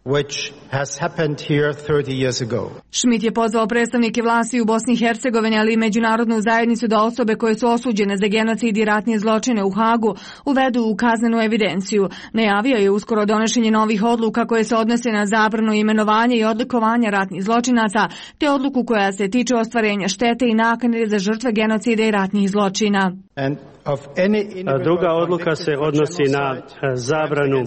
which has happened here 30 years ago. Schmidt je pozvao predstavnike vlasti u Bosni i Hercegovini, ali i međunarodnu zajednicu da osobe koje su osuđene za genocid i ratne zločine u Hagu uvedu u kaznenu evidenciju. Najavio je uskoro donošenje novih odluka koje se odnose na zabranu imenovanja i odlikovanja ratnih zločinaca, te odluku koja se tiče ostvarenja štete i naknade za žrtve genocida i ratnih zločina. Druga odluka se odnosi na zabranu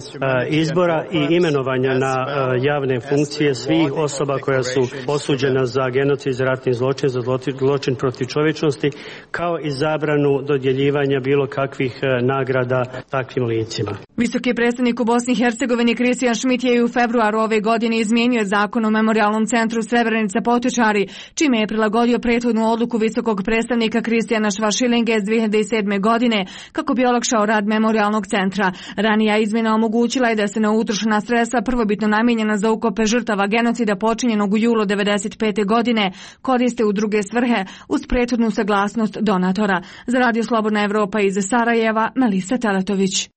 izbora i imenovanja na javne funkcije svih osoba koja su osuđena za genocid, za ratni zločin, za zločin protiv čovječnosti, kao i zabranu dodjeljivanja bilo kakvih nagrada takvim licima. Visoki predstavnik u Bosni i Hercegovini Kristijan Šmit je u februaru ove godine izmijenio zakon o Memorijalnom centru Srebrenica Potočari, čime je prilagodio prethodnu odluku visokog predstavnika Kristijana Švašilinge iz 2007. godine kako bi olakšao rad Memorijalnog centra. Ranija izmjena omogućila je da se neutrošena sredstva prvobitno namijenjena za ukope žrtava genocida počinjenog u julu 1995. godine koriste u druge svrhe uz prethodnu saglasnost donatora. Za Radio Slobodna Evropa iz Sarajeva, Melisa Teletović.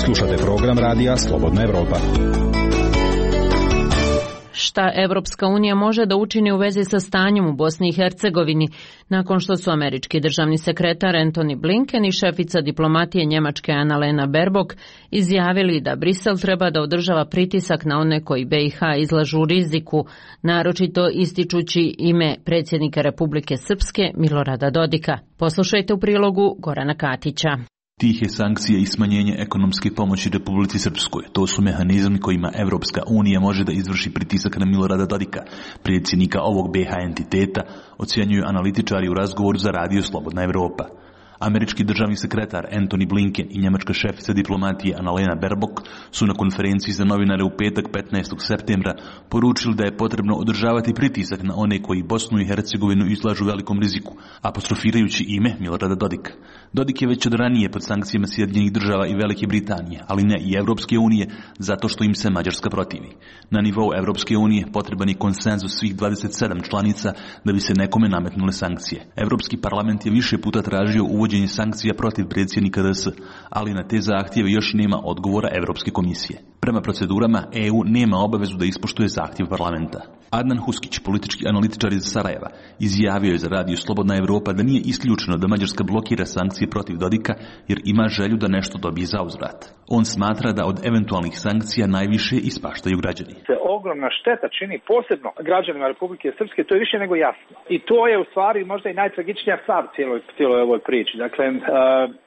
Slušate program Radija Slobodna Evropa. Šta Evropska unija može da učini u vezi sa stanjem u Bosni i Hercegovini nakon što su američki državni sekretar Antony Blinken i šefica diplomatije Njemačke Annalena Baerbock izjavili da Brisel treba da održava pritisak na one koji BiH izlažu riziku, naročito ističući ime predsjednika Republike Srpske Milorada Dodika. Poslušajte u prilogu Gorana Katića. Tihe sankcije i smanjenje ekonomske pomoći Republici Srpskoj. To su mehanizmi kojima Evropska unija može da izvrši pritisak na Milorada Dodika, predsjednika ovog BiH entiteta, ocjenjuju analitičari u razgovoru za Radio Slobodna Evropa. Američki državni sekretar Antony Blinken i njemačka šefica diplomatije Annalena Baerbock su na konferenciji za novinare u petak 15. septembra poručili da je potrebno održavati pritisak na one koji Bosnu i Hercegovinu izlažu velikom riziku, apostrofirajući ime Milorada Dodika. Dodik je već od ranije pod sankcijama Sjedinjenih država i Velike Britanije, ali ne i Evropske unije, zato što im se Mađarska protivi. Na nivou Evropske unije potreban je konsenzus svih 27 članica da bi se nekome nametnule sankcije. Evropski parlament je više puta tražio uvođenje sankcija protiv predsjednika DS, ali na te zahtjeve još nema odgovora Evropske komisije. Prema procedurama, EU nema obavezu da ispoštuje zahtjev parlamenta. Adnan Huskić, politički analitičar iz Sarajeva, izjavio je za Radio Slobodna Evropa da nije isključeno da Mađarska blokira sankcije protiv Dodika jer ima želju da nešto dobije zauzvrat. On smatra da od eventualnih sankcija najviše ispaštaju građani. Ogromna šteta čini posebno građanima Republike Srpske, to je više nego jasno. I to je u stvari možda i najtragičnija stvar cijeloj ovoj priči. Dakle,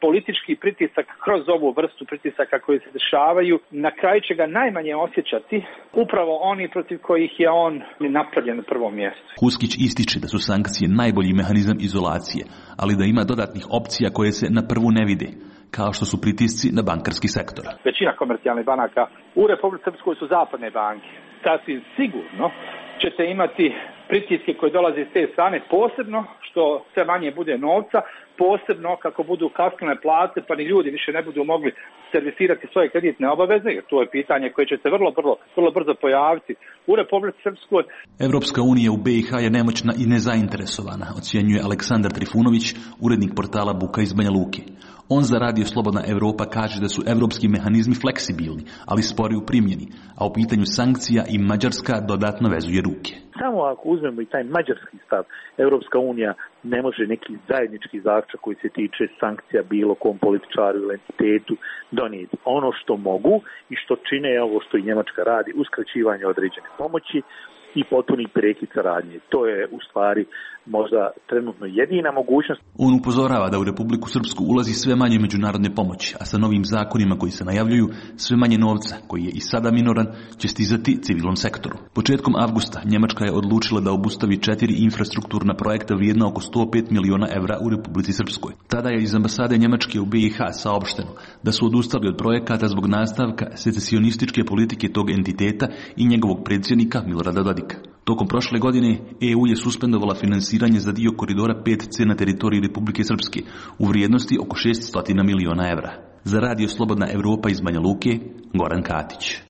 politički pritisak kroz ovu vrstu pritisaka koji se dešavaju, na kraju će ga najmanje osjećati upravo oni protiv kojih je on napravljen na prvom mjestu. Huskić ističe da su sankcije najbolji mehanizam izolacije, ali da ima dodatnih opcija koje se na prvu ne vide, kao što su pritisci na bankarski sektor. Većina komercijalnih banaka u Republici Srpskoj su zapadne banke. Sasvim sigurno ćete imati pritiske koje dolaze iz te strane, posebno što sve manje bude novca, posebno kako budu kasnile plate pa ni ljudi više ne budu mogli servisirati svoje kreditne obaveze, jer to je pitanje koje će se vrlo brzo pojaviti u Republici Srpskoj. Evropska unija u BiH je nemoćna i nezainteresovana, ocjenjuje Aleksandar Trifunović, urednik portala Buka iz Banja Luke. On za Radio Slobodna Evropa kaže da su evropski mehanizmi fleksibilni, ali spori u primjeni, a u pitanju sankcija i Mađarska dodatno vezuje ruke. Samo ako uzmemo i taj mađarski stav, Evropska unija ne može neki zajednički zaključak koji se tiče sankcija bilo kom političaru ili entitetu donijeti. Ono što mogu i što čine ovo što i Njemačka radi, uskraćivanje određene pomoći i potpuni prekid saradnje. To je u stvari možda trenutno jedina mogućnost. On upozorava da u Republiku Srpsku ulazi sve manje međunarodne pomoći, a sa novim zakonima koji se najavljuju sve manje novca, koji je i sada minoran, će stizati civilnom sektoru. Početkom avgusta Njemačka je odlučila da obustavi 4 infrastrukturna projekta vrijedna oko 105 miliona evra u Republici Srpskoj. Tada je iz ambasade Njemačke u BiH saopšteno da su odustali od projekata zbog nastavka secesionističke politike tog entiteta i njegovog predsjednika Milorada Dodika. Tokom prošle godine EU je suspendovala finansiranje za dio koridora 5C na teritoriji Republike Srpske u vrijednosti oko 600 miliona evra. Za Radio Slobodna Evropa iz Banja Luke, Goran Katić.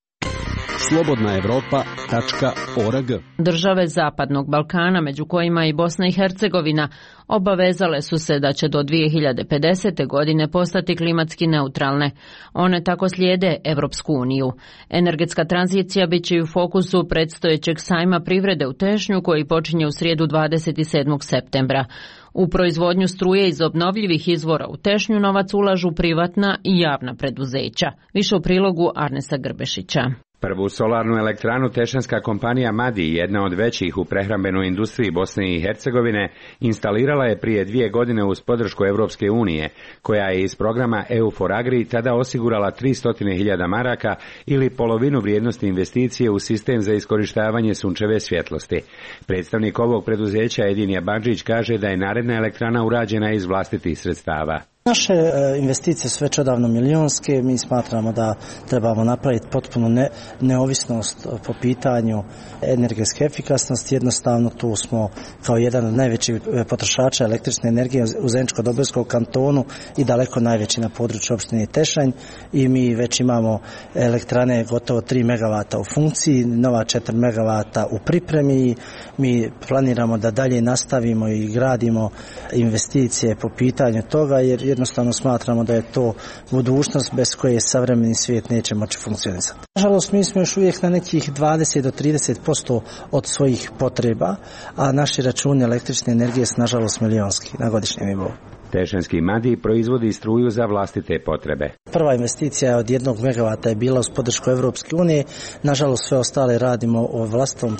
slobodnaevropa.org. Države Zapadnog Balkana, među kojima i Bosna i Hercegovina, obavezale su se da će do 2050. godine postati klimatski neutralne. One tako slijede Evropsku uniju. Energetska tranzicija bit će u fokusu predstojećeg sajma privrede u Tešnju koji počinje u srijedu 27. septembra. U proizvodnju struje iz obnovljivih izvora u Tešnju novac ulažu privatna i javna preduzeća. Više u prilogu Arnesa Grbešića. Prvu solarnu elektranu tešanska kompanija Madi, jedna od većih u prehrambenoj industriji Bosne i Hercegovine, instalirala je prije 2 godine uz podršku Evropske unije, koja je iz programa EU for Agri tada osigurala 300.000 maraka ili polovinu vrijednosti investicije u sistem za iskorištavanje sunčeve svjetlosti. Predstavnik ovog preduzeća Edin Jabanđić kaže da je naredna elektrana urađena iz vlastitih sredstava. Naše investicije su već odavno milijonske, mi smatramo da trebamo napraviti potpunu neovisnost po pitanju energetske efikasnosti. Jednostavno tu smo kao jedan od najvećih potrošača električne energije u Zeničko-Dobojskom kantonu i daleko najveći na području opštine Tešanj i mi već imamo elektrane gotovo 3 MW u funkciji, nova 4 MW u pripremi. Mi planiramo da dalje nastavimo i gradimo investicije po pitanju toga jer jednostavno smatramo da je to budućnost bez koje savremeni svijet neće moći funkcionisati. Nažalost, mi smo još uvijek na nekih 20 do 30% od svojih potreba, a naši računi električne energije su nažalost milijonski na godišnjem nivou. Tešanjski Madi proizvodi struju za vlastite potrebe. Prva investicija od 1 MW je bila uz podršku Evropske unije. Nažalost, sve ostale radimo o vlastitom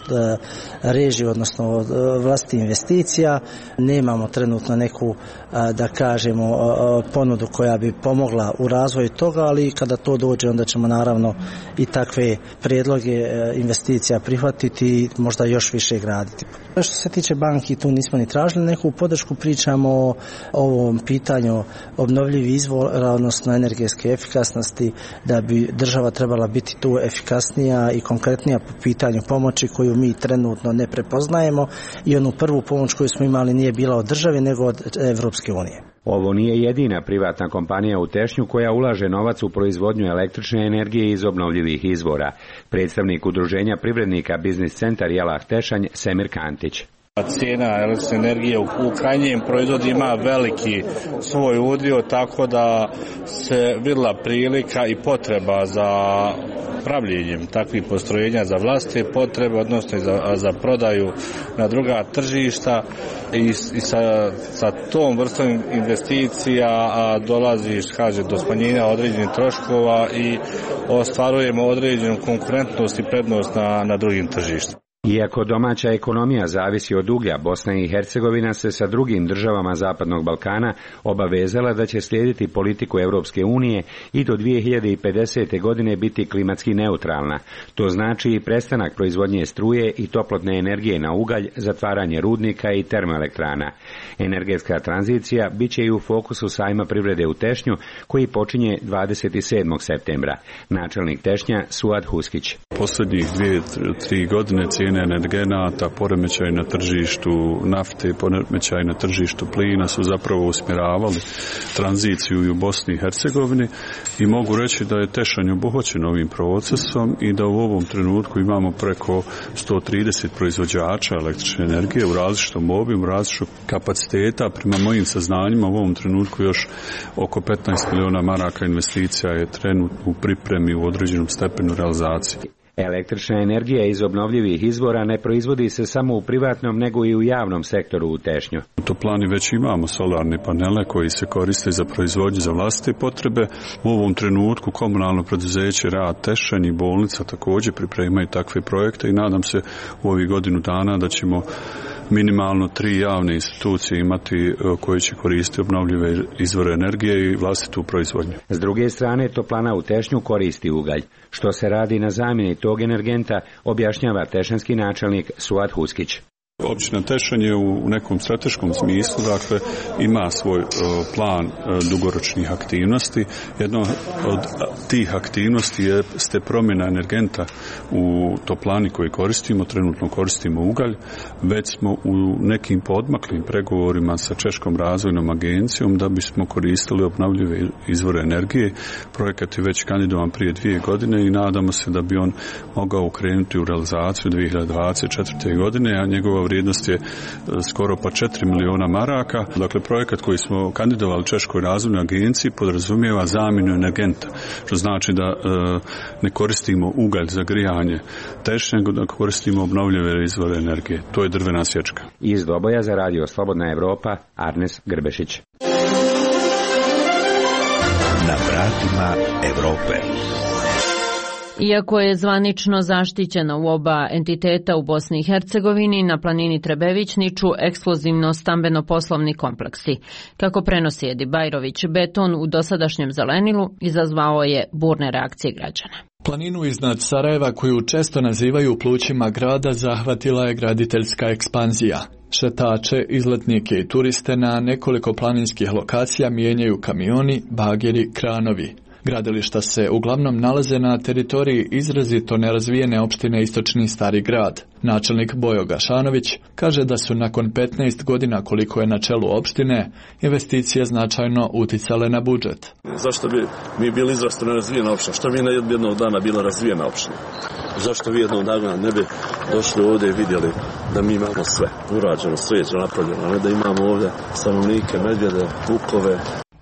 režiju, odnosno od vlastitih investicija. Nemamo trenutno neku, da kažemo, ponudu koja bi pomogla u razvoju toga, ali kada to dođe, onda ćemo naravno i takve prijedloge investicija prihvatiti i možda još više graditi. Što se tiče banki, tu nismo ni tražili neku podršku, pričamo o ovom pitanju obnovljivih izvora, odnosno energetske efikasnosti, da bi država trebala biti tu efikasnija i konkretnija po pitanju pomoći koju mi trenutno ne prepoznajemo i onu prvu pomoć koju smo imali nije bila od države nego od Evropske unije. Ovo nije jedina privatna kompanija u Tešnju koja ulaže novac u proizvodnju električne energije iz obnovljivih izvora. Predstavnik udruženja privrednika Biznis centar Jelah Tešanj Semir Kantić. Cijena električne energije u krajnjem proizvodu ima veliki svoj udio, tako da se vidjela prilika i potreba za pravljenjem takvih postrojenja za vlastite potrebe, odnosno za prodaju na druga tržišta i sa tom vrstom investicija dolazi do smanjenja određenih troškova i ostvarujemo određenu konkurentnost i prednost na drugim tržištima. Iako domaća ekonomija zavisi od uglja, Bosna i Hercegovina se sa drugim državama Zapadnog Balkana obavezala da će slijediti politiku Europske unije i do 2050. godine biti klimatski neutralna. To znači i prestanak proizvodnje struje i toplotne energije na ugalj, zatvaranje rudnika i termoelektrana. Energetska tranzicija bit će i u fokusu sajma privrede u Tešnju, koji počinje 27. septembra. Načelnik Tešnja Suad Huskić. Posljednjih 2-3 godine cijene energenata, poremećaj na tržištu nafte, poremećaj na tržištu plina su zapravo usmjeravali tranziciju i u Bosni i Hercegovini i mogu reći da je Tešanj obuhvaćen ovim procesom i da u ovom trenutku imamo preko 130 proizvođača električne energije u različitom obimu, različitom kapaciteta. Prema mojim saznanjima u ovom trenutku još oko 15 miliona maraka investicija je trenutno u pripremi u određenom stepenu realizacije. Električna energija iz obnovljivih izvora ne proizvodi se samo u privatnom nego i u javnom sektoru u Tešnju. U toplani već imamo solarne panele koji se koriste za proizvodnju za vlastite potrebe. U ovom trenutku komunalno preduzeće Rad Tešanj i bolnica također pripremaju takve projekte i nadam se u ovih godinu dana da ćemo minimalno 3 javne institucije imati koje će koristiti obnovljive izvore energije i vlastitu proizvodnju. S druge strane, toplana u Tešnju koristi ugalj. Što se radi na zamjeni tog energenta, objašnjava tešanski načelnik Suad Huskić. Općina Tešanj je u nekom strateškom smislu, dakle, ima svoj plan dugoročnih aktivnosti. Jedna od tih aktivnosti jeste promjena energenta u toplani koju koristimo, trenutno koristimo ugalj, već smo u nekim podmaklim pregovorima sa Češkom razvojnom agencijom da bismo koristili obnovljive izvore energije. Projekat je već kandidovan prije 2 godine i nadamo se da bi on mogao ukrenuti u realizaciju 2024. godine, a njegova vrijednost je skoro pa 4 miliona maraka. Dakle, projekat koji smo kandidovali Češkoj razvojnoj agenciji podrazumijeva zamjenu energenta, što znači da ne koristimo ugalj za grijanje Tešnja, nego da koristimo obnovljive izvore energije. To je drvena sječka. Iz Doboja za radio Slobodna Evropa, Arnes Grbešić. Na vratima Evrope. Iako je zvanično zaštićena u oba entiteta u Bosni i Hercegovini, na planini Trebević niču ekskluzivno stambeno-poslovni kompleksi. Kako prenosi Edi Bajrović, beton u dosadašnjem zelenilu izazvao je burne reakcije građana. Planinu iznad Sarajeva, koju često nazivaju plućima grada, zahvatila je graditeljska ekspanzija. Šetače, izletnike i turiste na nekoliko planinskih lokacija mijenjaju kamioni, bageri, kranovi. Gradilišta se uglavnom nalaze na teritoriji izrazito nerazvijene opštine Istočni Stari grad. Načelnik Bojo Gašanović kaže da su nakon 15 godina koliko je na čelu opštine investicije značajno uticale na budžet. Zašto bi mi bili izrazito nerazvijena opština? Što mi jednog dana bila razvijena opština? Zašto vi jednog dana ne bi došli ovdje i vidjeli da mi imamo sve urađeno, svijeće napravljeno, a ne da imamo ovdje stanovnike, medvjede, vukove.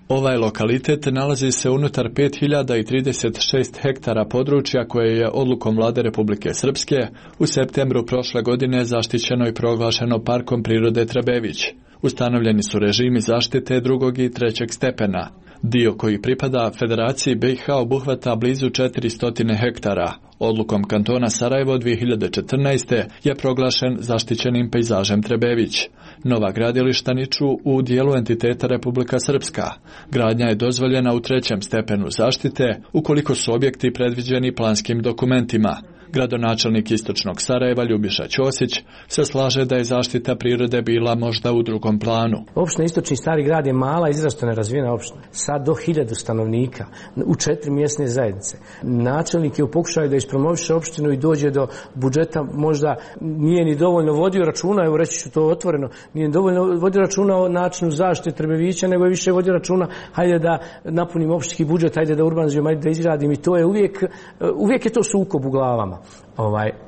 Ovaj lokalitet nalazi se unutar 5036 hektara područja koje je odlukom Vlade Republike Srpske u septembru prošle godine zaštićeno i proglašeno Parkom prirode Trebević. Ustanovljeni su režimi zaštite drugog i trećeg stepena. Dio koji pripada Federaciji BiH obuhvata blizu 400 hektara. Odlukom kantona Sarajevo 2014. je proglašen zaštićenim pejzažem Trebević. Nova gradilišta niču u dijelu entiteta Republika Srpska. Gradnja je dozvoljena u trećem stepenu zaštite ukoliko su objekti predviđeni planskim dokumentima. Gradonačelnik Istočnog Sarajeva Ljubiša Ćosić se slaže da je zaštita prirode bila možda u drugom planu. Opština Istočni Stari grad je mala, izrazito nerazvijena opština, sad do 1000 stanovnika, u 4 mjesne zajednice. Načelnik je u pokušaju da ispromoviše opštinu i dođe do budžeta, možda nije ni dovoljno vodio računa, evo reći ću to otvoreno, nije dovoljno vodio računa o načinu zaštite Trebevića, nego je više vodio računa, hajde da napunim opštinski budžet, hajde da urbanizujem, hajde da izgradim, i to je uvijek je to sukob u glavama.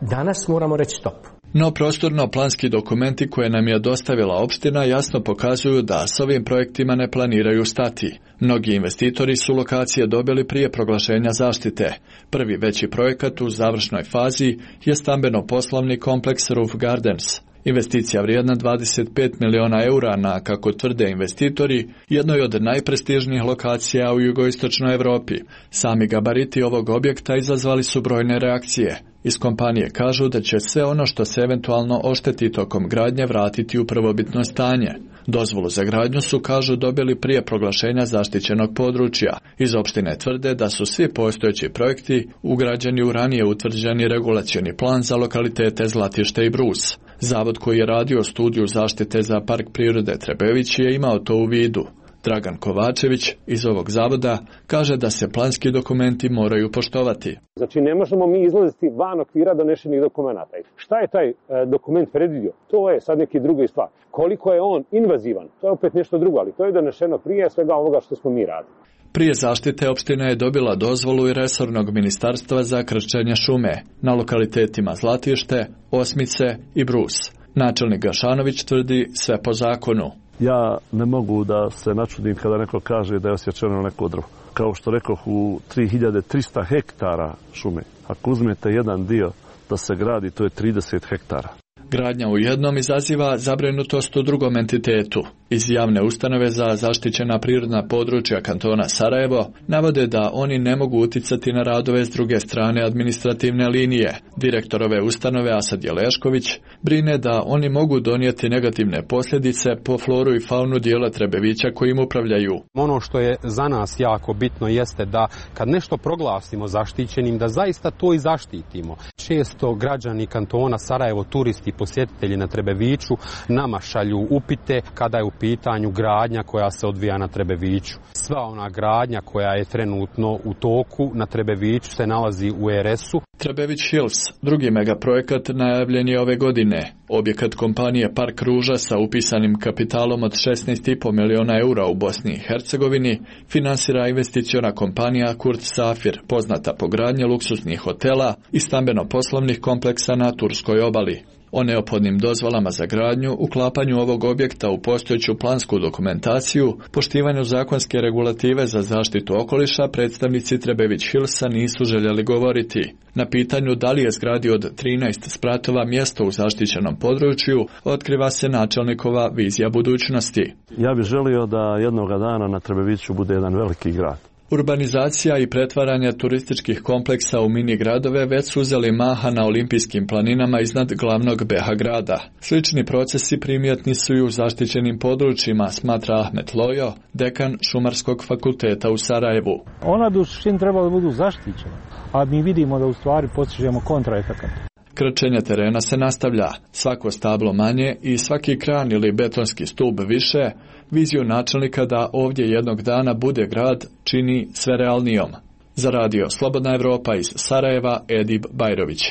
Danas moramo reći stop. No prostorno-planski dokumenti koje nam je dostavila opština jasno pokazuju da s ovim projektima ne planiraju stati. Mnogi investitori su lokacije dobili prije proglašenja zaštite. Prvi veći projekat u završnoj fazi je stambeno-poslovni kompleks Roof Gardens. Investicija vrijedna 25 miliona eura na, kako tvrde investitori, jednoj od najprestižnijih lokacija u jugoistočnoj Europi. Sami gabariti ovog objekta izazvali su brojne reakcije. Iz kompanije kažu da će sve ono što se eventualno ošteti tokom gradnje vratiti u prvobitno stanje. Dozvolu za gradnju su, kažu, dobili prije proglašenja zaštićenog područja. Iz opštine tvrde da su svi postojeći projekti ugrađeni u ranije utvrđeni regulacioni plan za lokalitete Zlatište i Brus. Zavod koji je radio studiju zaštite za Park prirode Trebević je imao to u vidu. Dragan Kovačević iz ovog zavoda kaže da se planski dokumenti moraju poštovati. Znači ne možemo mi izlaziti van okvira donešenih dokumenata. Šta je taj dokument predvidio? To je sad neki druga stvar. Koliko je on invazivan? To je opet nešto drugo, ali to je donešeno prije svega ovoga što smo mi radili. Prije zaštite opština je dobila dozvolu i resornog ministarstva za krčenje šume na lokalitetima Zlatište, Osmice i Brus. Načelnik Gašanović tvrdi sve po zakonu. Ja ne mogu da se načudim kada neko kaže da je osjećeno neko drvo. Kao što rekoh, u 3300 hektara šume. Ako uzmete jedan dio da se gradi, to je 30 hektara. Gradnja u jednom izaziva zabrinutost u drugom entitetu. Iz javne ustanove za zaštićena prirodna područja kantona Sarajevo navode da oni ne mogu uticati na radove s druge strane administrativne linije. Direktor ove ustanove Asad Jelešković brine da oni mogu donijeti negativne posljedice po floru i faunu dijela Trebevića kojim upravljaju. Ono što je za nas jako bitno jeste da kad nešto proglasimo zaštićenim, da zaista to i zaštitimo. Često građani kantona Sarajevo, turisti, posjetitelji na Trebeviću nama šalju upite kada je u pitanju gradnja koja se odvija na Trebeviću. Sva ona gradnja koja je trenutno u toku na Trebeviću se nalazi u RS-u. Trebević Hills, drugi megaprojekat, najavljen je ove godine. Objekat kompanije Park Ruža sa upisanim kapitalom od 16,5 miliona eura u Bosni i Hercegovini finansira investiciona kompanija Kurt Safir, poznata po gradnji luksuznih hotela i stambeno-poslovnih kompleksa na Turskoj obali. O neophodnim dozvolama za gradnju, uklapanju ovog objekta u postojeću plansku dokumentaciju, poštivanju zakonske regulative za zaštitu okoliša, predstavnici Trebević Hillsa nisu željeli govoriti. Na pitanju da li je zgradi od 13 spratova mjesto u zaštićenom području, otkriva se načelnikova vizija budućnosti. Ja bih želio da jednoga dana na Trebeviću bude jedan veliki grad. Urbanizacija i pretvaranje turističkih kompleksa u mini gradove već su uzeli maha na olimpijskim planinama iznad glavnog BiH grada. Slični procesi primjetni su i u zaštićenim područjima, smatra Ahmet Lojo, dekan Šumarskog fakulteta u Sarajevu. Ona u suštini treba da budu zaštićena, a mi vidimo da u stvari postižemo kontraefekat. Krčenje terena se nastavlja. Svako stablo manje i svaki kran ili betonski stub više, viziju načelnika da ovdje jednog dana bude grad čini sve realnijom. Za radio Slobodna Evropa iz Sarajeva, Edib Bajrović.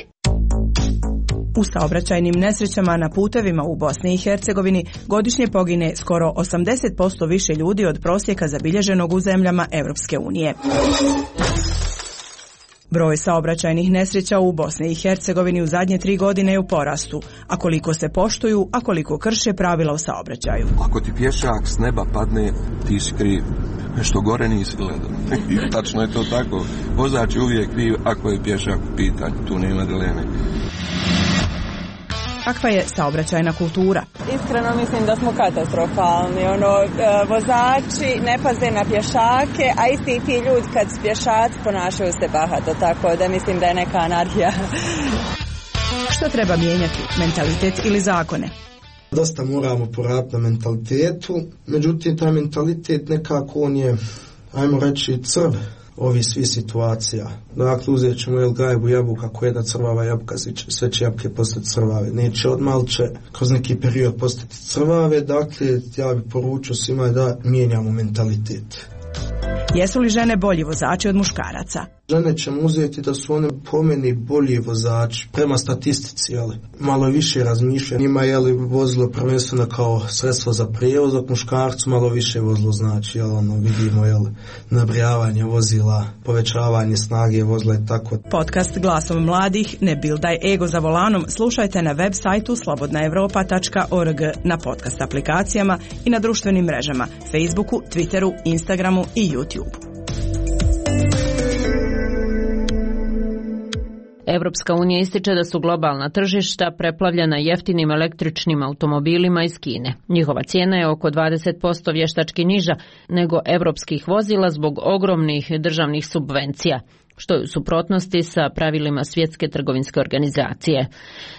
U saobraćajnim nesrećama na putevima u Bosni i Hercegovini godišnje pogine skoro 80% više ljudi od prosjeka zabilježenog u zemljama Europske unije. Broj saobraćajnih nesreća u Bosni i Hercegovini u zadnje 3 godine je u porastu, a koliko se poštuju, a koliko krše pravila o saobraćaju. Ako ti pješak s neba padne, ti si kriv. Nešto gore nisi gledao. I tačno je to tako. Vozač je uvijek kriv ako je pješak u pitanju. Tu nema dileme. Kakva je saobraćajna kultura? Iskreno mislim da smo katastrofalni. Vozači ne paze na pješake, a isti ti ljudi kad pješaci ponašaju se bahato, tako da mislim da je neka anarhija. Što treba mijenjati, mentalitet ili zakone? Dosta moramo poraditi na mentalitetu, međutim taj mentalitet nekako on je, ajmo reći, crv ovi svi situacija. Dakle, uzet ćemo gajbu jabuka, koja je da crvava jabuka, sve će jabuke postati crvave. Neće odmah, ali će kroz neki period postati crvave. Dakle, ja bih poručio svima da mijenjamo mentalitet. Jesu li žene bolji vozači od muškaraca? Žene ćemo uzeti da su one po meni bolji vozači, prema statistici, malo više razmišljaju. Njima je vozilo prvenstveno kao sredstvo za prijevoz, dok muškarcu malo više vozilo znači, vidimo nabrijavanje vozila, povećavanje snage vozila i tako. Podcast Glasom mladih, ne bildaj ego za volanom, slušajte na web sajtu slobodnaevropa.org, na podcast aplikacijama i na društvenim mrežama, Facebooku, Twitteru, Instagramu i YouTubeu. Evropska unija ističe da su globalna tržišta preplavljena jeftinim električnim automobilima iz Kine. Njihova cijena je oko 20% vještački niža nego evropskih vozila zbog ogromnih državnih subvencija, što je u suprotnosti sa pravilima Svjetske trgovinske organizacije.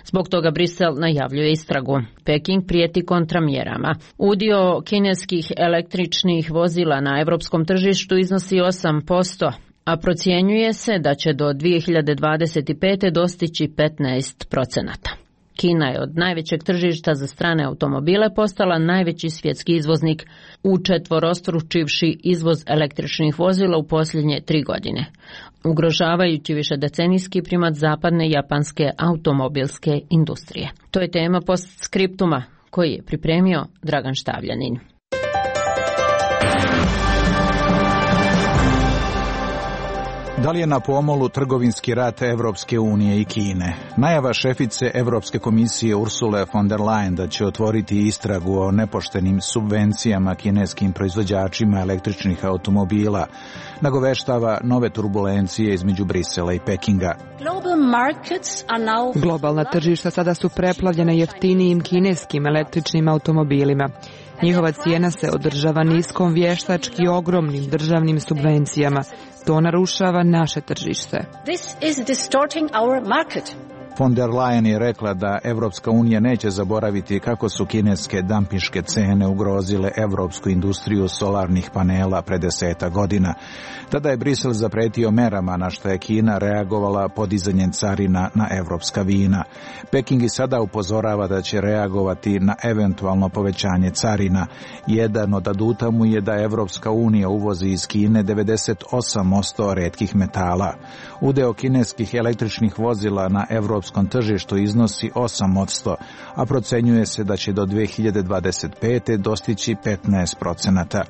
Zbog toga Brisel najavljuje istragu. Peking prijeti kontramjerama. Udio kineskih električnih vozila na evropskom tržištu iznosi 8%, a procjenjuje se da će do 2025. dostići 15%. Kina je od najvećeg tržišta za strane automobile postala najveći svjetski izvoznik, učetvorostručivši izvoz električnih vozila u posljednje 3 godine, ugrožavajući višedecenijski primat zapadne japanske automobilske industrije. To je tema postskriptuma koji je pripremio Dragan Štavljanin. Da li je na pomolu trgovinski rat Evropske unije i Kine? Najava šefice Evropske komisije Ursule von der Leyen da će otvoriti istragu o nepoštenim subvencijama kineskim proizvođačima električnih automobila nagoveštava nove turbulencije između Brisela i Pekinga. Globalna tržišta sada su preplavljena jeftinijim kineskim električnim automobilima. Njihova cijena se održava niskom vještački ogromnim državnim subvencijama. To narušava naše tržište. Von der Leyen je rekla da Evropska unija neće zaboraviti kako su kineske dampinške cene ugrozile evropsku industriju solarnih panela pre 10 godina. Tada je Brisel zapretio merama na što je Kina reagovala podizanjem carina na evropska vina. Peking i sada upozorava da će reagovati na eventualno povećanje carina. Jedan od aduta mu je da Evropska unija uvozi iz Kine 98% retkih metala. Udeo kineskih električnih vozila na evropskom tržištu iznosi 8%, a procenjuje se da će do 2025. dostići 15%.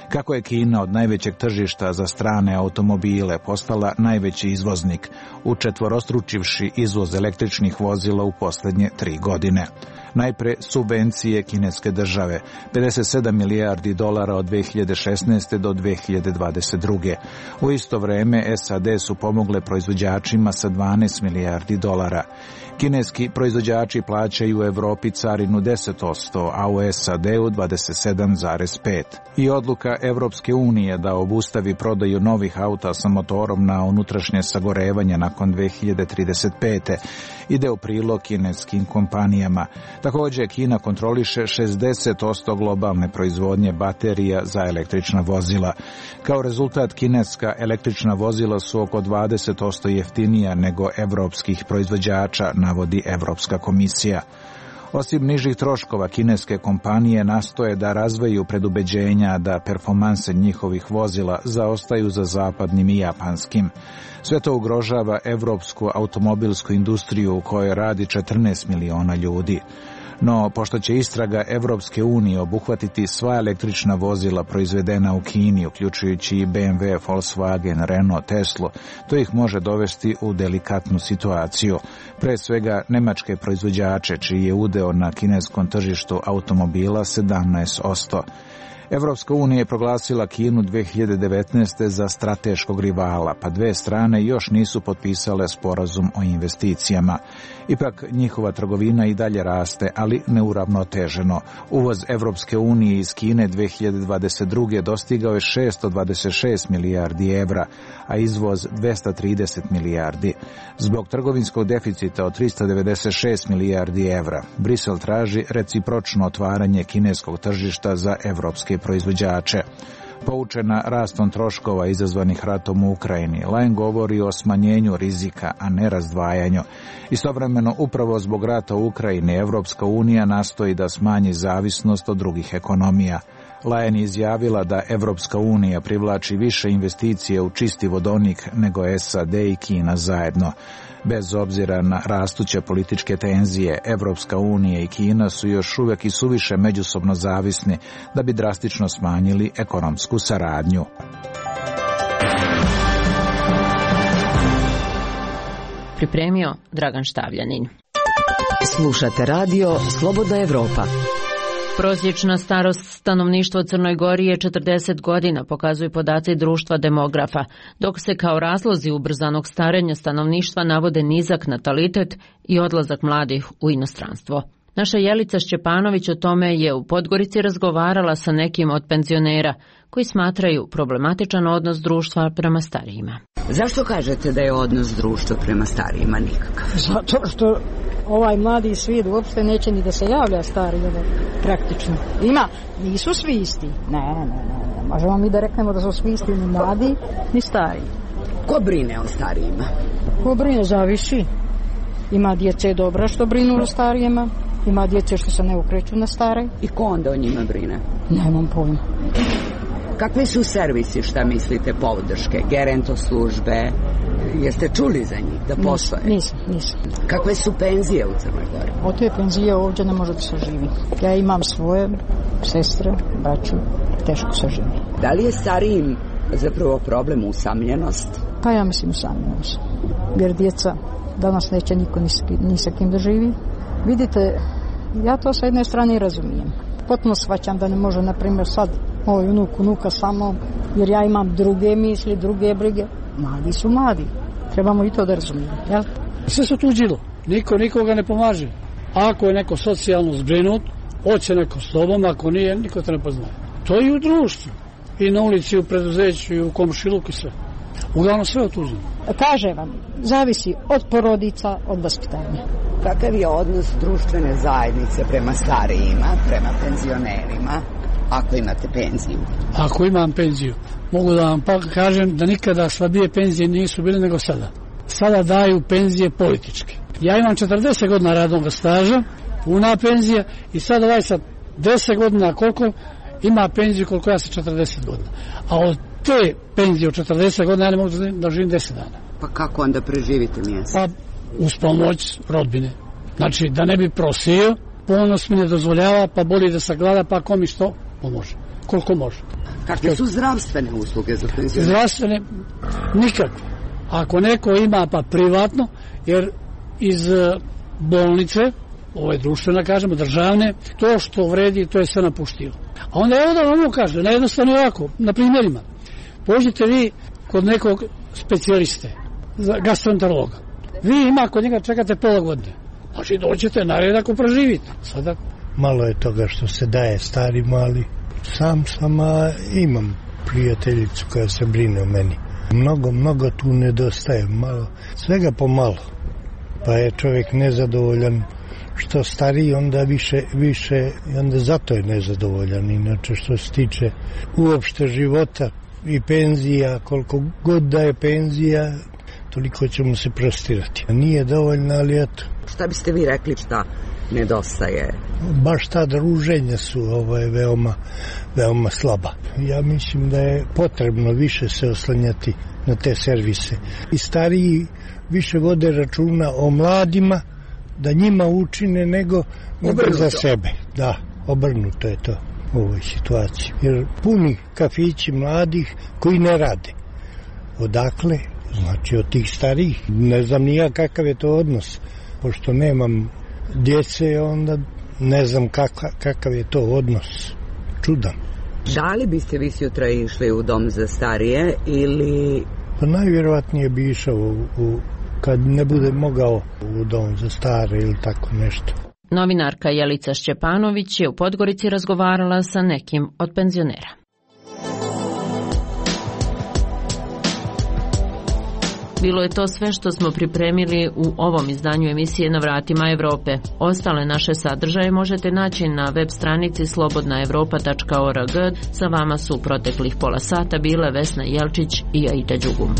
Kako je Kina od najvećeg tržišta za strane automobile postala najveći izvoznik, učetvorostručivši izvoz električnih vozila u posljednje 3 godine. Najpre subvencije kineske države, 57 milijardi dolara od 2016. do 2022. U isto vrijeme SAD su pomogle proizvođačima sa 12 milijardi dolara. Kineski proizvođači plaćaju u Evropi carinu 10%, a u SAD-u 27,5%. I odluka Evropske unije da obustavi prodaju novih auta sa motorom na unutrašnje sagorevanje nakon 2035. ide u prilog kineskim kompanijama. Također Kina kontroliše 60% globalne proizvodnje baterija za električna vozila. Kao rezultat kineska električna vozila su oko 20% jeftinija nego evropskih proizvođača proizvođača, navodi Evropska komisija. Osim nižih troškova, kineske kompanije nastoje da razviju predubeđenja da performanse njihovih vozila zaostaju za zapadnim i japanskim. Sve to ugrožava evropsku automobilsku industriju u kojoj radi 14 miliona ljudi. No, pošto će istraga Evropske unije obuhvatiti sva električna vozila proizvedena u Kini, uključujući i BMW, Volkswagen, Renault, Tesla, to ih može dovesti u delikatnu situaciju. Pre svega nemačke proizvođače, čiji je udeo na kineskom tržištu automobila 17%. Evropska unija je proglasila Kinu 2019. za strateškog rivala, pa dve strane još nisu potpisale sporazum o investicijama. Ipak njihova trgovina i dalje raste, ali neuravnoteženo. Uvoz Evropske unije iz Kine 2022. dostigao je 626 milijardi evra, a izvoz 230 milijardi. Zbog trgovinskog deficita od 396 milijardi evra, Brisel traži recipročno otvaranje kineskog tržišta za evropske proizvođače. Poučena rastom troškova izazvanih ratom u Ukrajini, Leyen govori o smanjenju rizika, a ne razdvajanju. Istovremeno, upravo zbog rata u Ukrajini, Evropska unija nastoji da smanji zavisnost od drugih ekonomija. Leyen je izjavila da Evropska unija privlači više investicije u čisti vodonik nego SAD i Kina zajedno. Bez obzira na rastuće političke tenzije, Evropska unija i Kina su još uvijek i suviše međusobno zavisni da bi drastično smanjili ekonomsku saradnju. Pripremio Dragan Štavljanin. Slušate radio Slobodna Evropa. Prosječna starost stanovništva u Crnoj Gori je 40 godina, pokazuju podaci društva demografa, dok se kao razlozi ubrzanog starenja stanovništva navode nizak natalitet i odlazak mladih u inostranstvo. Naša Jelica Šćepanović o tome je u Podgorici razgovarala sa nekim od penzionera koji smatraju problematičan odnos društva prema starijima. Zašto kažete da je odnos društva prema starijima nikakav? Zato što ovaj mladi svijet uopšte neće ni da se javlja stari, praktično. Ima, nisu svi isti. Ne. Možemo mi da reknemo da su svi isti ni mladi, ni stari. Ko brine o starijima? Ko brine, zavisi. Ima djece dobra što brinu o starijima, ima djece što se ne ukreću na stare. I ko onda o njima brine? Nemam pojma. Kakvi su servisi, šta mislite, podrške, gerento službe? Jeste čuli za njih da postoje? Nisam. Kakve su penzije u Crnoj Gori? Od te penzije ovdje ne može da se živi. Ja imam svoje sestre, braću, teško se živi. Da li je starijim zapravo problem usamljenost? Pa ja mislim usamljenost. Jer djeca danas neće niko ni sa kim da živi. Vidite, ja to sa jedne strane razumijem. Potpuno shvaćam da ne može, na primjer, sad moj unuka sa mnom, jer ja imam druge misli, druge brige. Mladi su mladi. Trebamo i to da razumijemo, jel? Sve su tuđilo. Niko nikoga ne pomaže. Ako je neko socijalno zbrinut, hoće neko s tobom, ako nije, niko te ne poznaje. To je i u društvu. I na ulici, i u preduzeću, i u komšiluku, i sve. Uglavnom sve otuđeno. Kaže vam, zavisi od porodica, od vaspitanja. Kakav je odnos društvene zajednice prema starijima, prema penzionerima, ako imate penziju? Ako imam penziju, mogu da vam kažem da nikada slabije penzije nisu bile nego sada. Sada daju penzije političke. Ja imam 40 godina radnog staža, puna penzija, i sad ovaj sa 10 godina koliko ima penziju koliko ja sa 40 godina. A od te penzije od 40 godina ja ne mogu da živim 10 dana. Pa kako onda preživite mjesec? Pa uz pomoć rodbine. Znači da ne bi prosio, ponos mi ne dozvoljava, pa boli da sagleda, pa ko mi što pomože. Koliko može. Kakve su zdravstvene usluge za penzionere? Zdravstvene nikakve. Ako neko ima pa privatno, jer iz bolnice, ovo je društvena, kažemo, državne, to što vredi, to je sve napuštilo. A onda evo da vam kaže, najjednostavno ovako, na primjerima. Pođite vi kod nekog specijaliste, gastroenterologa. Vi ima kod njega čekate pola godine. Znači dođete na red ako preživite. Sada... Malo je toga što se daje stari mali. Sam imam prijateljicu koja se brine o meni. Mnogo tu nedostaje, malo, svega pomalo. Pa je čovjek nezadovoljan što stariji, onda više i onda zato je nezadovoljan. Inače što se tiče uopšte života i penzija, koliko god da je penzija, toliko ćemo se prostirati. Nije dovoljno, ali eto. Šta biste vi rekli šta nedostaje? Baš ta druženja su veoma slaba. Ja mislim da je potrebno više se oslanjati na te servise. I stariji više vode računa o mladima, da njima učine nego za sebe. Da, obrnuto je to u ovoj situaciji. Jer puni kafići mladih koji ne rade. Odakle? Znači od tih starijih. Ne znam ni ja kakav je to odnos. Pošto nemam djece, onda ne znam kakav je to odnos. Čudan. Da li biste vi sutra išli u dom za starije ili... Pa najvjerovatnije bi išao kad ne bude mogao u dom za stare ili tako nešto. Novinarka Jelica Šćepanović je u Podgorici razgovarala sa nekim od penzionera. Bilo je to sve što smo pripremili u ovom izdanju emisije Na vratima Evrope. Ostale naše sadržaje možete naći na web stranici slobodnaevropa.org. Sa vama su proteklih pola sata bile Vesna Jelčić i Aida Đugum.